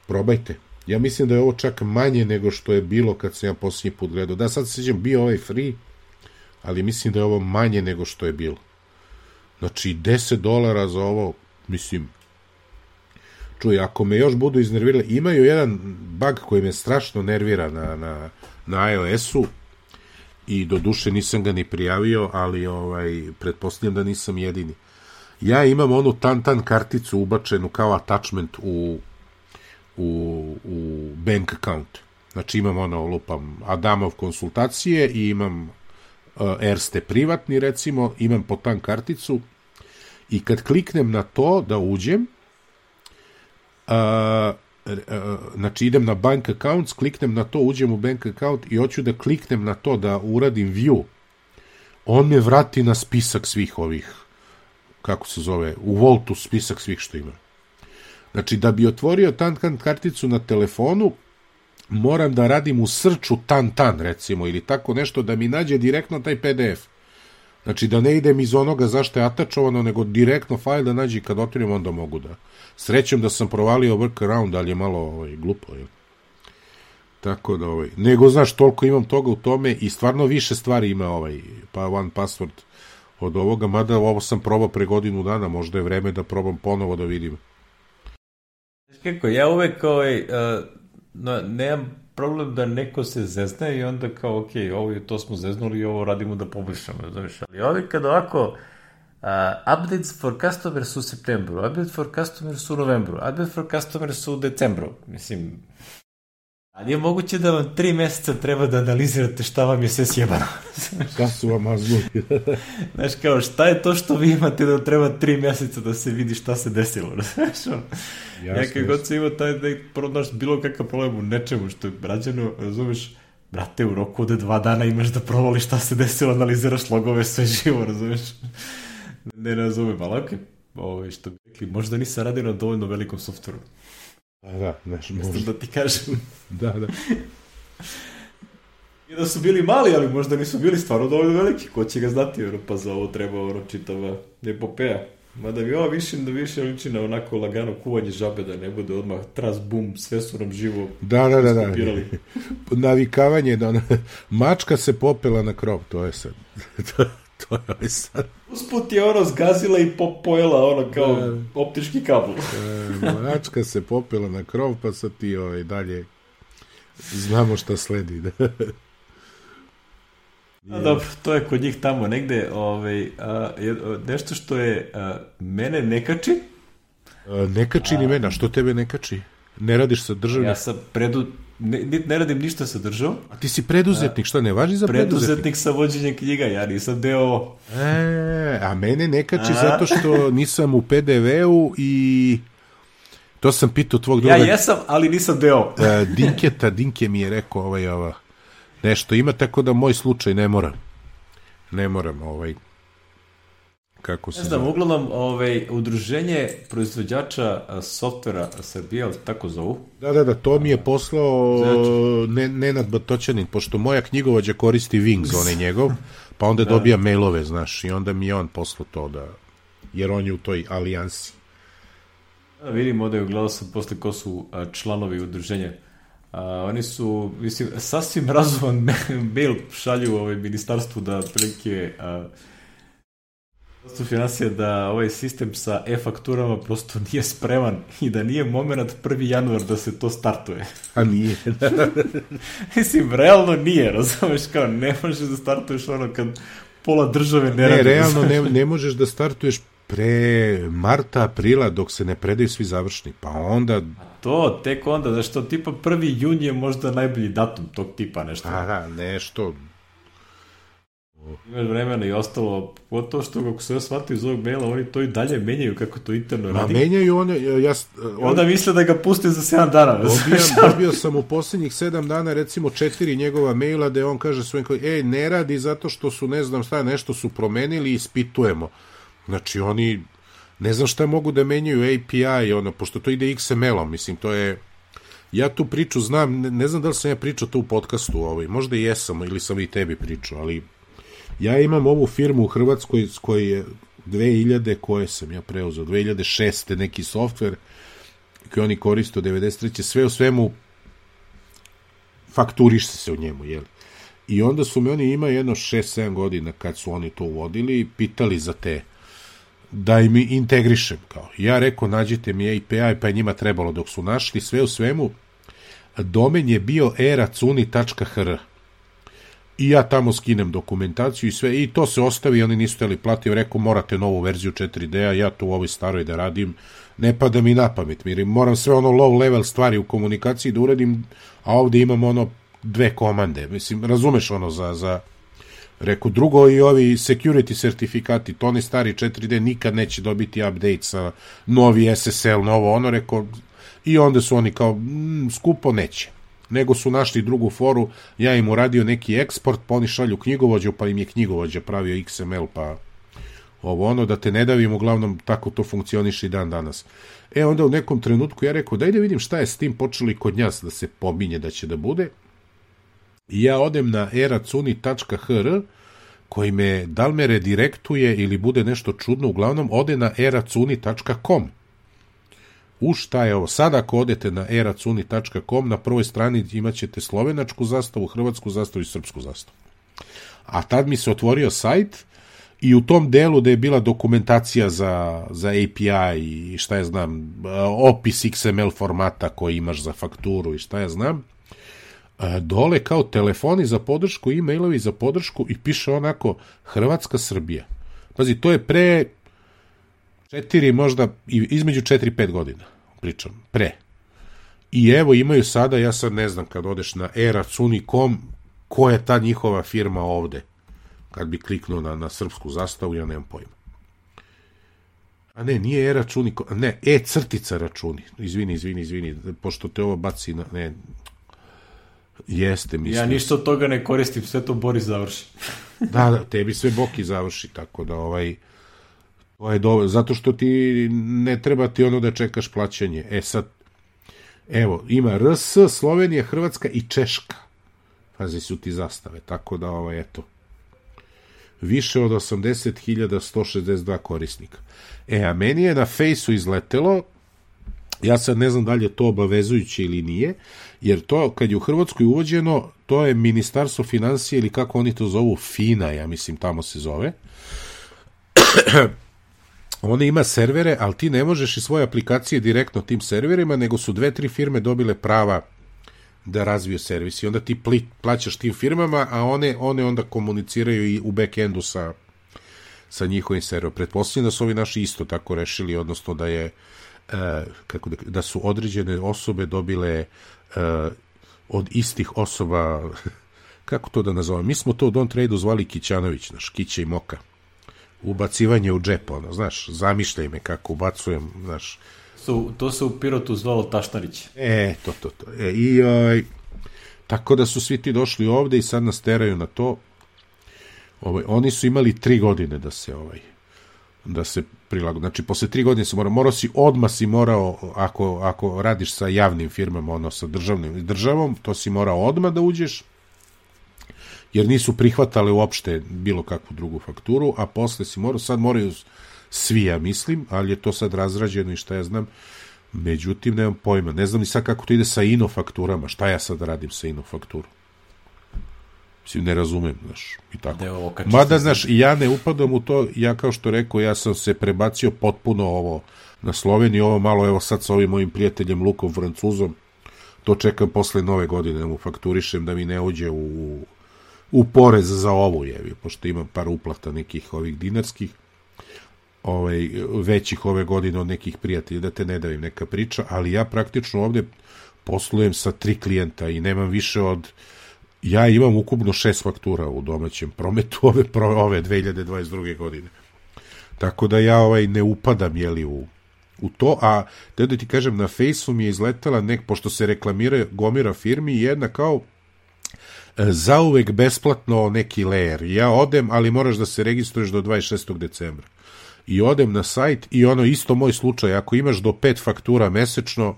probajte. Ja mislim da je ovo čak manje nego što je bilo kad sam ja posljednji put gledao. Da, sad se sjećam, bio free, ali mislim da je ovo manje nego što je bilo. Znači, $10 za ovo, mislim, čuj, ako me još budu iznervirali, imaju jedan bug koji me strašno nervira na iOS-u i do duše nisam ga ni prijavio, ali pretpostavljam da nisam jedini. Ja imam onu Tantan karticu ubačenu kao attachment u bank account. Znači imam lupam Adamov konsultacije i imam Erste privatni, recimo, imam po tan karticu i kad kliknem na to da uđem, znači idem na bank accounts, kliknem na to, uđem u bank account i hoću da kliknem na to da uradim view, on me vrati na spisak svih ovih, kako se zove, u Voltu spisak svih što ima. Znači da bi otvorio tan karticu na telefonu, moram da radim u srču tan, recimo, ili tako nešto, da mi nađe direktno taj PDF. Znači da ne idem iz onoga zašto je atačovano, nego direktno fajl da nađe i kad otvorim, onda mogu da. Srećem da sam provalio workaround, ali je malo glupo. Tako da, nego, znaš, toliko imam toga u tome i stvarno više stvari ima pa OnePassword od ovoga, mada ovo sam probao pre godinu dana, možda je vreme da probam ponovo da vidim. Kako, ja uvek nemam problem da neko se zezne i onda kao, ok, to smo zeznuli i ovo radimo da poboljšamo, znaš, ali ovi kad ovako updates for customers su u septembru, update for customers su u novembru, update for customers su u decembru, mislim, ali je moguće da vam 3 meseca treba da analizirate šta vam je sve sjebano. Šta su vam azbuli? Znaš, kao, šta je to što vi imate da treba 3 meseca da se vidi šta se desilo, znaš, ja kad god se ima taj da pronaš bilo kakav problem u nečemu što je rađeno, razumeš, brate, u roku od 2 dana imaš da provališ šta se desilo, analiziraš logove, sve živo, razumeš, ne razumem, ali okej, što bi rekli, možda nisam radio na dovoljno velikom softveru. Da, nešto možda. Da ti kažem. Da. I da su bili mali, ali možda nisu bili stvarno dovoljno veliki. Ko će ga znati, pa za ovo treba čitava epopeja. Mada bi ovo više liči na onako lagano kuvanje žabe, da ne bude odmah tras, bum, sve su nam živo iskopirali. Navikavanje, mačka se popela na krov, to je sad. To je sad. Usput je zgazila i pojela kao optički kabel. Mačka se popela na krov, pa sad ti dalje znamo šta sledi. Dobro, to je kod njih tamo negde. Nešto što je mene ne kači. Ne kači ni mene, što tebe ne kači? Ne radiš sa državom? Ja sam ne radim ništa sa državom. A ti si preduzetnik, šta ne važi za preduzetnik? Preduzetnik sa vođenjem knjiga, ja nisam deo... A mene ne kači zato što nisam u PDV-u i... To sam pitao tvog druga... Ja jesam, ali nisam deo. Dinke mi je rekao nešto ima, tako da moj slučaj ne moram. Kako se... Ne znam, uglavnom, udruženje proizvođača softvera Srbije, tako zovu? Da, to mi je poslao Nenad Batoćanin, pošto moja knjigovođa koristi Wings, on je njegov, pa onda dobija mailove, znaš, i onda mi je on poslao to, jer on je u toj alijansi. Vidim, ovdje gledao sam posle ko su članovi udruženja. Oni su, mislim, sasvim razuman mail šalju ministarstvu da prilike financija da ovaj sistem sa e-fakturama prosto nije spreman i da nije moment 1. januar da se to startuje. A nije. Mislim, realno nije, razumeš, kao ne možeš da startuješ kad pola države ne radi. Ne, realno ne možeš da startuješ pre marta, aprila, dok se ne predaju svi završni, pa onda... To, tek onda, znaš to, tipa 1. jun je možda najbolji datum tog tipa, nešto. Aha, nešto... Imaš vremena i ostalo, to što kako se ja shvatio iz ovog maila, oni to i dalje menjaju kako to interno radi. Menjaju one... Onda misle da ga puste za 7 dana. Dobio sam u posljednjih 7 dana, recimo 4 njegova maila, da on kaže svojim, ne radi zato što su, ne znam šta, nešto su promenili i ispitujemo. Znači, oni, ne znam šta mogu da menjaju API, pošto to ide XML-om, mislim, to je... Ja tu priču znam, ne znam da li sam ja pričao to u podcastu, možda i jesam, ili sam i tebi pričao, ali ja imam ovu firmu u Hrvatskoj s koje je 2000, koje sam ja preuzeo, 2006. neki softver koji oni koriste od 93. Sve u svemu fakturiš se u njemu, jel? I onda su me oni imali jedno 6-7 godina kad su oni to uvodili i pitali za te da im integrišem. Kao. Ja rekao, nađite mi API, pa je njima trebalo dok su našli. Sve u svemu, domen je bio eracuni.hr. I ja tamo skinem dokumentaciju i sve, i to se ostavi, oni nisu htjeli platiti, rekao, morate novu verziju 4D-a, ja to u ovoj staroj da radim, ne pada mi na pamet, moram sve low level stvari u komunikaciji da uradim, a ovdje imam 2 komande, mislim, razumeš za rekao, drugo i ovi security sertifikati, to ne stari 4D nikad neće dobiti update sa novi SSL, novo rekao, i onda su oni kao, skupo neće, nego su našli drugu foru, ja im uradio neki eksport, pa oni šalju knjigovođu, pa im je knjigovođa pravio XML, pa da te ne davim, uglavnom tako to funkcioniše i dan danas. Onda u nekom trenutku ja rekao, daj da vidim šta je s tim počeli kod nas da se pominje da će da bude. I ja odem na eracuni.hr koji me, da li me redirektuje ili bude nešto čudno, uglavnom ode na eracuni.com. Šta je ovo? Sad ako odete na eracuni.com, na prvoj strani imat ćete slovenačku zastavu, hrvatsku zastavu i srpsku zastavu. A tad mi se otvorio sajt i u tom delu da je bila dokumentacija za API i šta ja znam, opis XML formata koji imaš za fakturu i šta ja znam, dole kao telefoni za podršku, e-mailovi za podršku i piše onako Hrvatska, Srbija. Pazi, to je pre 4, možda između 4-5 godina pričam, pre. I evo imaju sada, ja sad ne znam kad odeš na eracuni.com ko je ta njihova firma ovde. Kad bi kliknuo na srpsku zastavu, ja nemam pojma. A ne, nije e-računi.com, ne, e-crtica računi. Izvini, pošto te ovo baci na... Ne, jeste, mislim. Ja ništa od toga ne koristim, sve to Boris završi. Da, tebi sve Boki završi, tako da to je dobro, zato što ti ne treba ti da čekaš plaćanje. Sad, evo, ima RS, Slovenija, Hrvatska i Češka. Pazi, su ti zastave, tako da, eto, više od 80.162 korisnika. A meni je na Fejsu izletelo, ja sad ne znam da li je to obavezujuće ili nije, jer to, kad je u Hrvatskoj uvođeno, to je Ministarstvo financije ili kako oni to zovu, FINA, ja mislim, tamo se zove. Ona ima servere, ali ti ne možeš i svoje aplikacije direktno tim serverima, nego su 2-3 firme dobile prava da razviju servis i onda ti plaćaš tim firmama, a one onda komuniciraju i u backendu sa njihovim serverom. Pretpostavljam da su ovi naši isto tako rešili, odnosno da je da su određene osobe dobile od istih osoba, kako to da nazovem, mi smo to u Don't Trade-u zvali Kićanović, naš Kića i Moka, ubacivanje u džep, znaš, zamišljaj me kako ubacujem, znaš. To se u Pirotu zvalo Tašnarić. To. Tako da su svi ti došli ovde i sad nas teraju na to. Oni su imali 3 godine da se prilagode. Znači, posle 3 godine si morao, ako radiš sa javnim firmama, sa državom, to si morao odmah da uđeš, jer nisu prihvatale uopšte bilo kakvu drugu fakturu, a posle si morao, sad moraju svi, ja mislim, ali je to sad razrađeno i šta ja znam, međutim, nemam pojma, ne znam ni sad kako to ide sa ino fakturama, šta ja sad radim sa ino fakturu? Mislim, ne razumem, znaš, i tako. Mada, znaš, ja ne upadam u to, ja kao što rekao, ja sam se prebacio potpuno na Sloveniju, ovo malo, evo sad sa ovim mojim prijateljem Lukom Francuzom, to čekam posle nove godine, da mu fakturišem, da mi ne uđe u porez za ovu, pošto imam par uplata nekih ovih dinarskih, većih ove godine od nekih prijatelja, da te ne davim neka priča, ali ja praktično ovde poslujem sa 3 klijenta i nemam više ja imam ukupno 6 faktura u domaćem prometu ove 2022. godine. Tako da ja ne upadam, u to, a da ti kažem, na Fejsu mi je izletela pošto se reklamira gomira firmi, jedna kao zauvek besplatno neki layer. Ja odem, ali moraš da se registruješ do 26. decembra. I odem na sajt i isto moj slučaj, ako imaš do 5 faktura mesečno,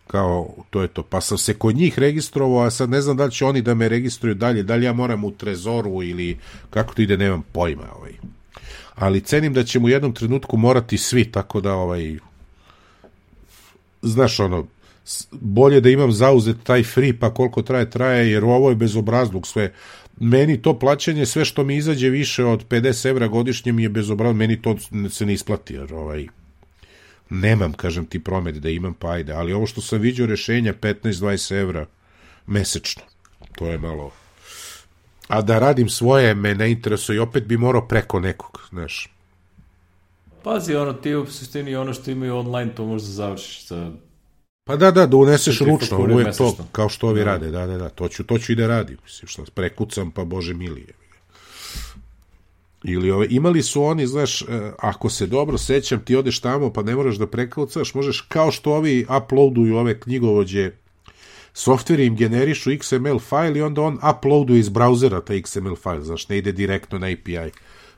kao, to je to. Pa sam se kod njih registrovao, a sad ne znam da li će oni da me registruju dalje, da li ja moram u Trezoru ili kako to ide, nemam pojma. Ali cenim da ćemo u jednom trenutku morati svi, tako da znaš, bolje da imam zauzet taj free, pa koliko traje, jer ovo je bezobrazluk sve. Meni to plaćanje, sve što mi izađe više od 50 evra godišnje mi je bezobrazluk, meni to se ne isplati, jer nemam, kažem ti, promet da imam, pa ajde, ali ovo što sam vidio rešenja 15-20 evra mesečno, to je malo, a da radim svoje me ne interesuje i opet bi morao preko nekog, znaš. Pazi, ti u suštini ono što imaju online, to možda završiš sa... Pa da uneseš ručno, ovo je to, kao što ovi rade, da, to ću i da radim, mislim, što prekucam, pa bože milije. Ili imali su oni, znaš, ako se dobro sećam, ti odeš tamo pa ne moraš da prekucaš, možeš, kao što ovi uploaduju ove knjigovođe, softveri im generišu XML file i onda on uploaduje iz brauzera taj XML file, znaš, ne ide direktno na API.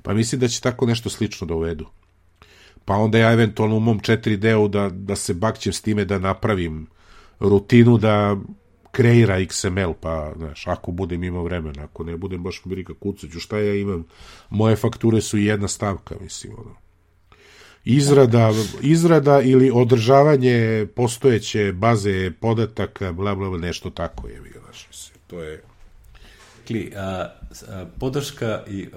Pa mislim da će tako nešto slično da uvedu. Pa onda ja eventualno u mom 4D-u da se bakćem s time da napravim rutinu da kreira XML, pa, znaš, ako budem imao vremena, ako ne budem baš briga kucaću, šta ja imam, moje fakture su jedna stavka, mislim, izrada ili održavanje postojeće baze podataka, bla, bla, nešto tako je, znaš, mislim, to je... Podrška i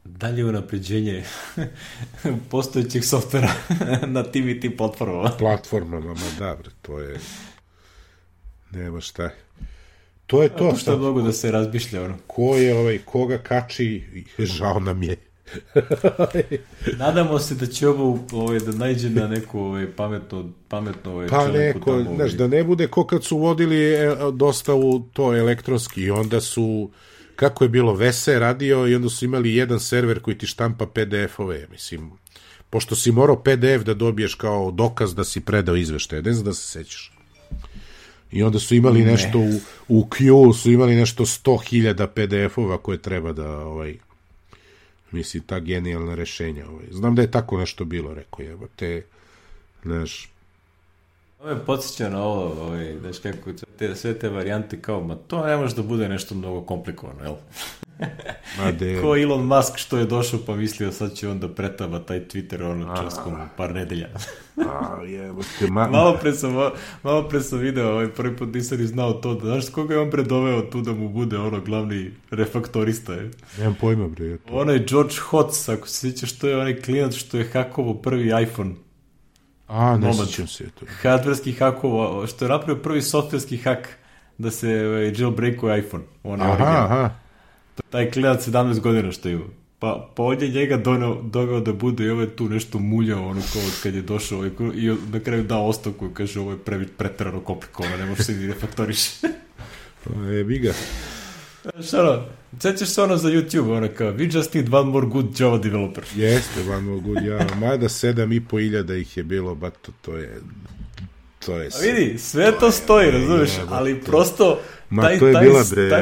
dalje unapređenje postojećih softvera na tim i tim platformama, ma bre, to je... Nema šta. To je to. Šta mogu da se razmišlja, Ko je koga kači, žao nam je. Nadamo se da će ovo da najđe na neku pametno pa neko, znaš, da ne bude ko kad su vodili dostavu to elektronski i onda su, kako je bilo, Vese radio i onda su imali jedan server koji ti štampa PDF-ove, mislim, pošto si morao PDF da dobiješ kao dokaz da si predao izveštaje, ne znam da se sećaš. I onda su imali nešto u Q, su imali nešto 100.000 PDF-ova koje treba da, mislim, ta genijalna rešenja. Znam da je tako nešto bilo, rekao je, te, znaš. Ovo me podsjeća na ovo, znaš kako, sve te varijante kao, ma to ne može da bude nešto mnogo komplikovano, jel? Ko Elon Musk što je došao pa mislio sad će on da pretava taj Twitter časkom par nedelja. Malo pre sam video, prvi put nisam ni znao to, znaš koga je on predoveo tu da mu bude glavni refaktorista. Nemam pojma, bre. Ono je George Hotz, ako se sjećaš, što je onaj klinac što je hakovo prvi iPhone. Ne sjećam se to. Hardverski hakovo, što je napravio prvi softverski hak da se jailbreakuje iPhone. Aha. Taj klinac 17 godina što ima. Pa ovdje njega doveo da bude i ovo je tu nešto muljao, kao kad je došao i na kraju dao ostavku i kaže ovo je preterano komplikovano, ne može se ni refaktoriši. Jebi ga. Sjećaš se za YouTube, kao we just need one more good Java developer. Jeste, one more good Java. Mada 7.500 ih je bilo, bato, to je vidi, sve to stoji, razumeš, ali prosto taj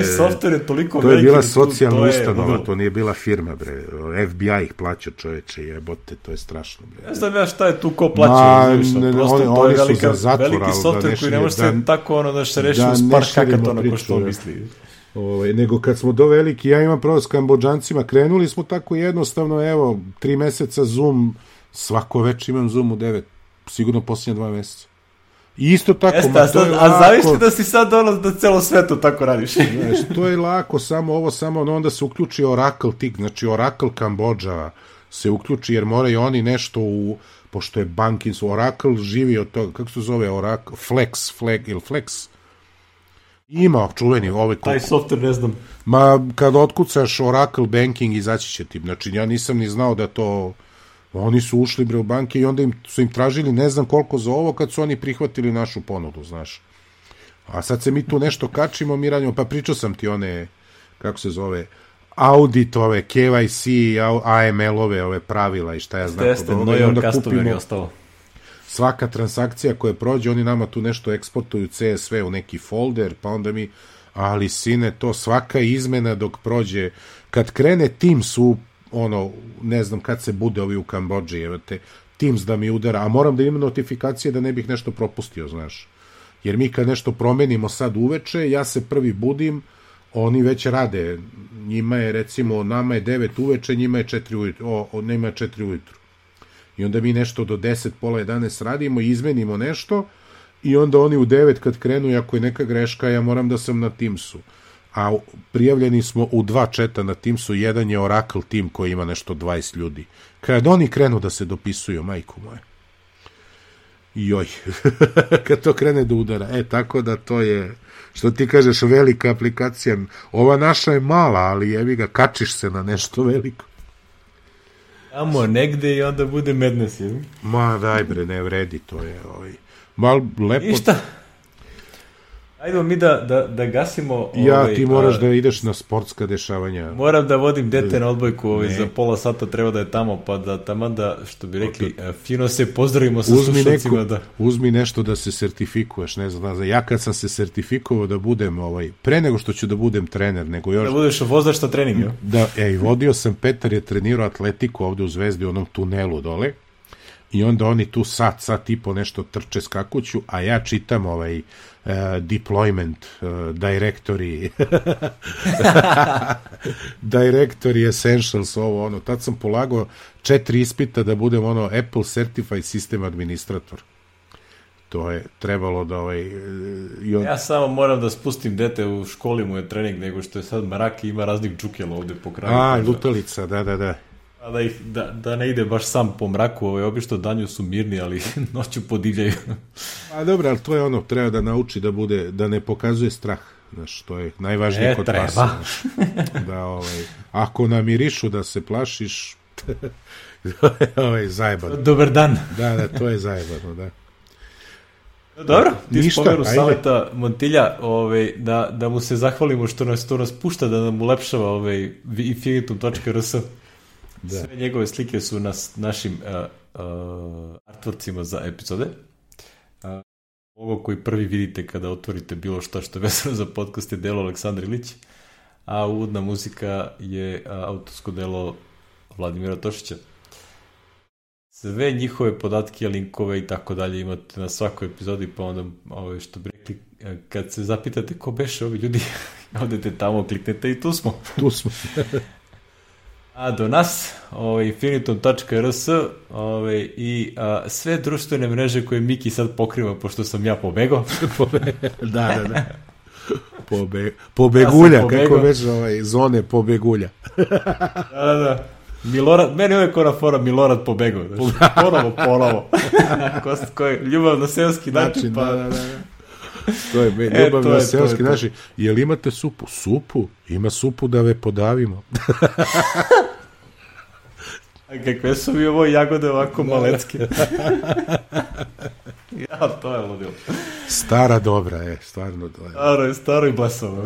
software je toliko veliki. To je bila socijalna ustanova, to nije bila firma, bre. FBI ih plaća, čoveče, jebote, to je strašno, bre. Ne znam ja šta je tu ko plaća, prosto to je veliki software koji ne može se tako da se reši uz par hakatona ko što misli. Nego kad smo do veliki, ja imam pravo s Kambodžancima, krenuli smo tako jednostavno, evo, 3 meseca Zoom, svako večer imam Zoom u 9, sigurno posljednje 2 meseca. I isto tako, a zavište da si sad da celo svetu tako radiš. Znaš, to je lako, samo onda se uključi Oracle tik, znači Oracle Kambodža se uključi, jer moraju oni nešto pošto je banking, Oracle živi od toga, kako se zove Oracle, Flex, ima čuveni taj software, ne znam. Kad otkucaš Oracle Banking, izaći će ti. Znači, ja nisam ni znao da to... Oni su ušli bre u banke i onda su im tražili ne znam koliko za ovo kad su oni prihvatili našu ponudu, znaš. A sad se mi tu nešto kačimo, mi radimo, pa pričao sam ti one, kako se zove, auditove, KYC, AML-ove, ove pravila i šta ja znam. Jeste, Neuer Customer je ostalo. Svaka transakcija koja prođe, oni nama tu nešto eksportuju CSV u neki folder, pa onda mi, ali sine, to svaka izmena dok prođe, kad krene Teams ne znam kad se bude ovi u Kambodži, evo te, Teams da mi udara, a moram da imam notifikacije da ne bih nešto propustio, znaš. Jer mi kad nešto promenimo sad uveče, ja se prvi budim, oni već rade, njima je recimo, nama je 9 uveče, njima je 4 ujutru, njima je 4 ujutru. I onda mi nešto do 10, pola 11 radimo, izmenimo nešto i onda oni u 9 kad krenu, ako je neka greška, ja moram da sam na Teamsu. A prijavljeni smo u 2 četa na Teamsu, jedan je Oracle Team koji ima nešto 20 ljudi. Kad oni krenu da se dopisuju, majku moje. Joj, kad to krene da udara. Tako da to je, što ti kažeš, velika aplikacija. Ova naša je mala, ali jebi ga, kačiš se na nešto veliko. Tamo negde i onda bude madness, jel? Ma daj bre, ne vredi, to je mal lepo. I šta? Ajde mi da gasimo... ti moraš da ideš na sportska dešavanja. Moram da vodim dete na odbojku, za pola sata treba da je tamo, pa da tamo da, što bi rekli, fino se pozdravimo sa slušalcima. Uzmi nešto da se sertifikuješ, ne znam, ja kad sam se sertifikovao da budem, pre nego što ću da budem trener, nego još... Da budeš vozač sa trening, jo? Da, vodio sam, Petar je trenirao atletiku ovde u Zvezdi, u onom tunelu dole, i onda oni tu sat i po nešto trče skakuću, a ja čitam deployment, directory essentials, tad sam polagao 4 ispita da budem Apple Certified System Administrator. To je trebalo da Ja samo moram da spustim dete, u školi mu je trening, nego što je sad mrak i ima raznih džukela ovde po kraju. Lutalica, da. Da ne ide baš sam po mraku, obično danju su mirni, ali noću podivljaju. Dobro, ali to je treba da nauči da ne pokazuje strah, znaš, to je najvažnije kod pasa. Ako namirišu da se plašiš, to je zajebano. Dobar dan. Da, to je zajebano, da. Dobro, ti spomeru saveta Montilja, da mu se zahvalimo što nas pušta, da nam ulepšava infinitum.rs. Sve njegove slike su na našim artworkcima za epizode. Ovo koji prvi vidite kada otvorite bilo što je vezano za podcast je delo Aleksandar Ilić, a uvodna muzika je autorsko delo Vladimira Tošića. sve njihove podatke, linkove i tako dalje imate na svakoj epizodi, pa onda što bi rekli, kad se zapitate ko beše ovi ljudi, odete tamo, kliknete i tu smo. Tu smo. A do nas, infinitum.rs i sve društvene mreže koje Miki sad pokriva, pošto sam ja pobegao. Da. Pobegulja, kako već zone pobegulja. Da. Milorad, meni uvijek ona fora Milorad pobegao. Ponovo. Ljubav na seoski način, pa... Da. To je ljubav na seoski način. Jel imate supu? Supu? Ima supu da ve podavimo. A kakve su mi ovo jagode ovako malecke? Ja, to je ludilo. Stara dobra, stvarno dobra. Staro i blesovo.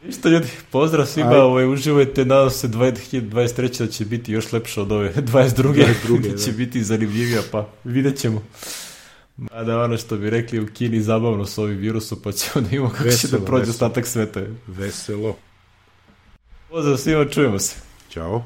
Ništa ljudi, pozdrav svima, uživajte, nadam se 2023. da će biti još lepše od ove 22. da će biti zanimljivija, pa vidjet ćemo. Mada ono što bi rekli u Kini zabavno s ovim virusom, pa ćemo da imamo kako će da prođe ostatak sveta. Veselo. Pozdrav svima, čujemo se. Ćao.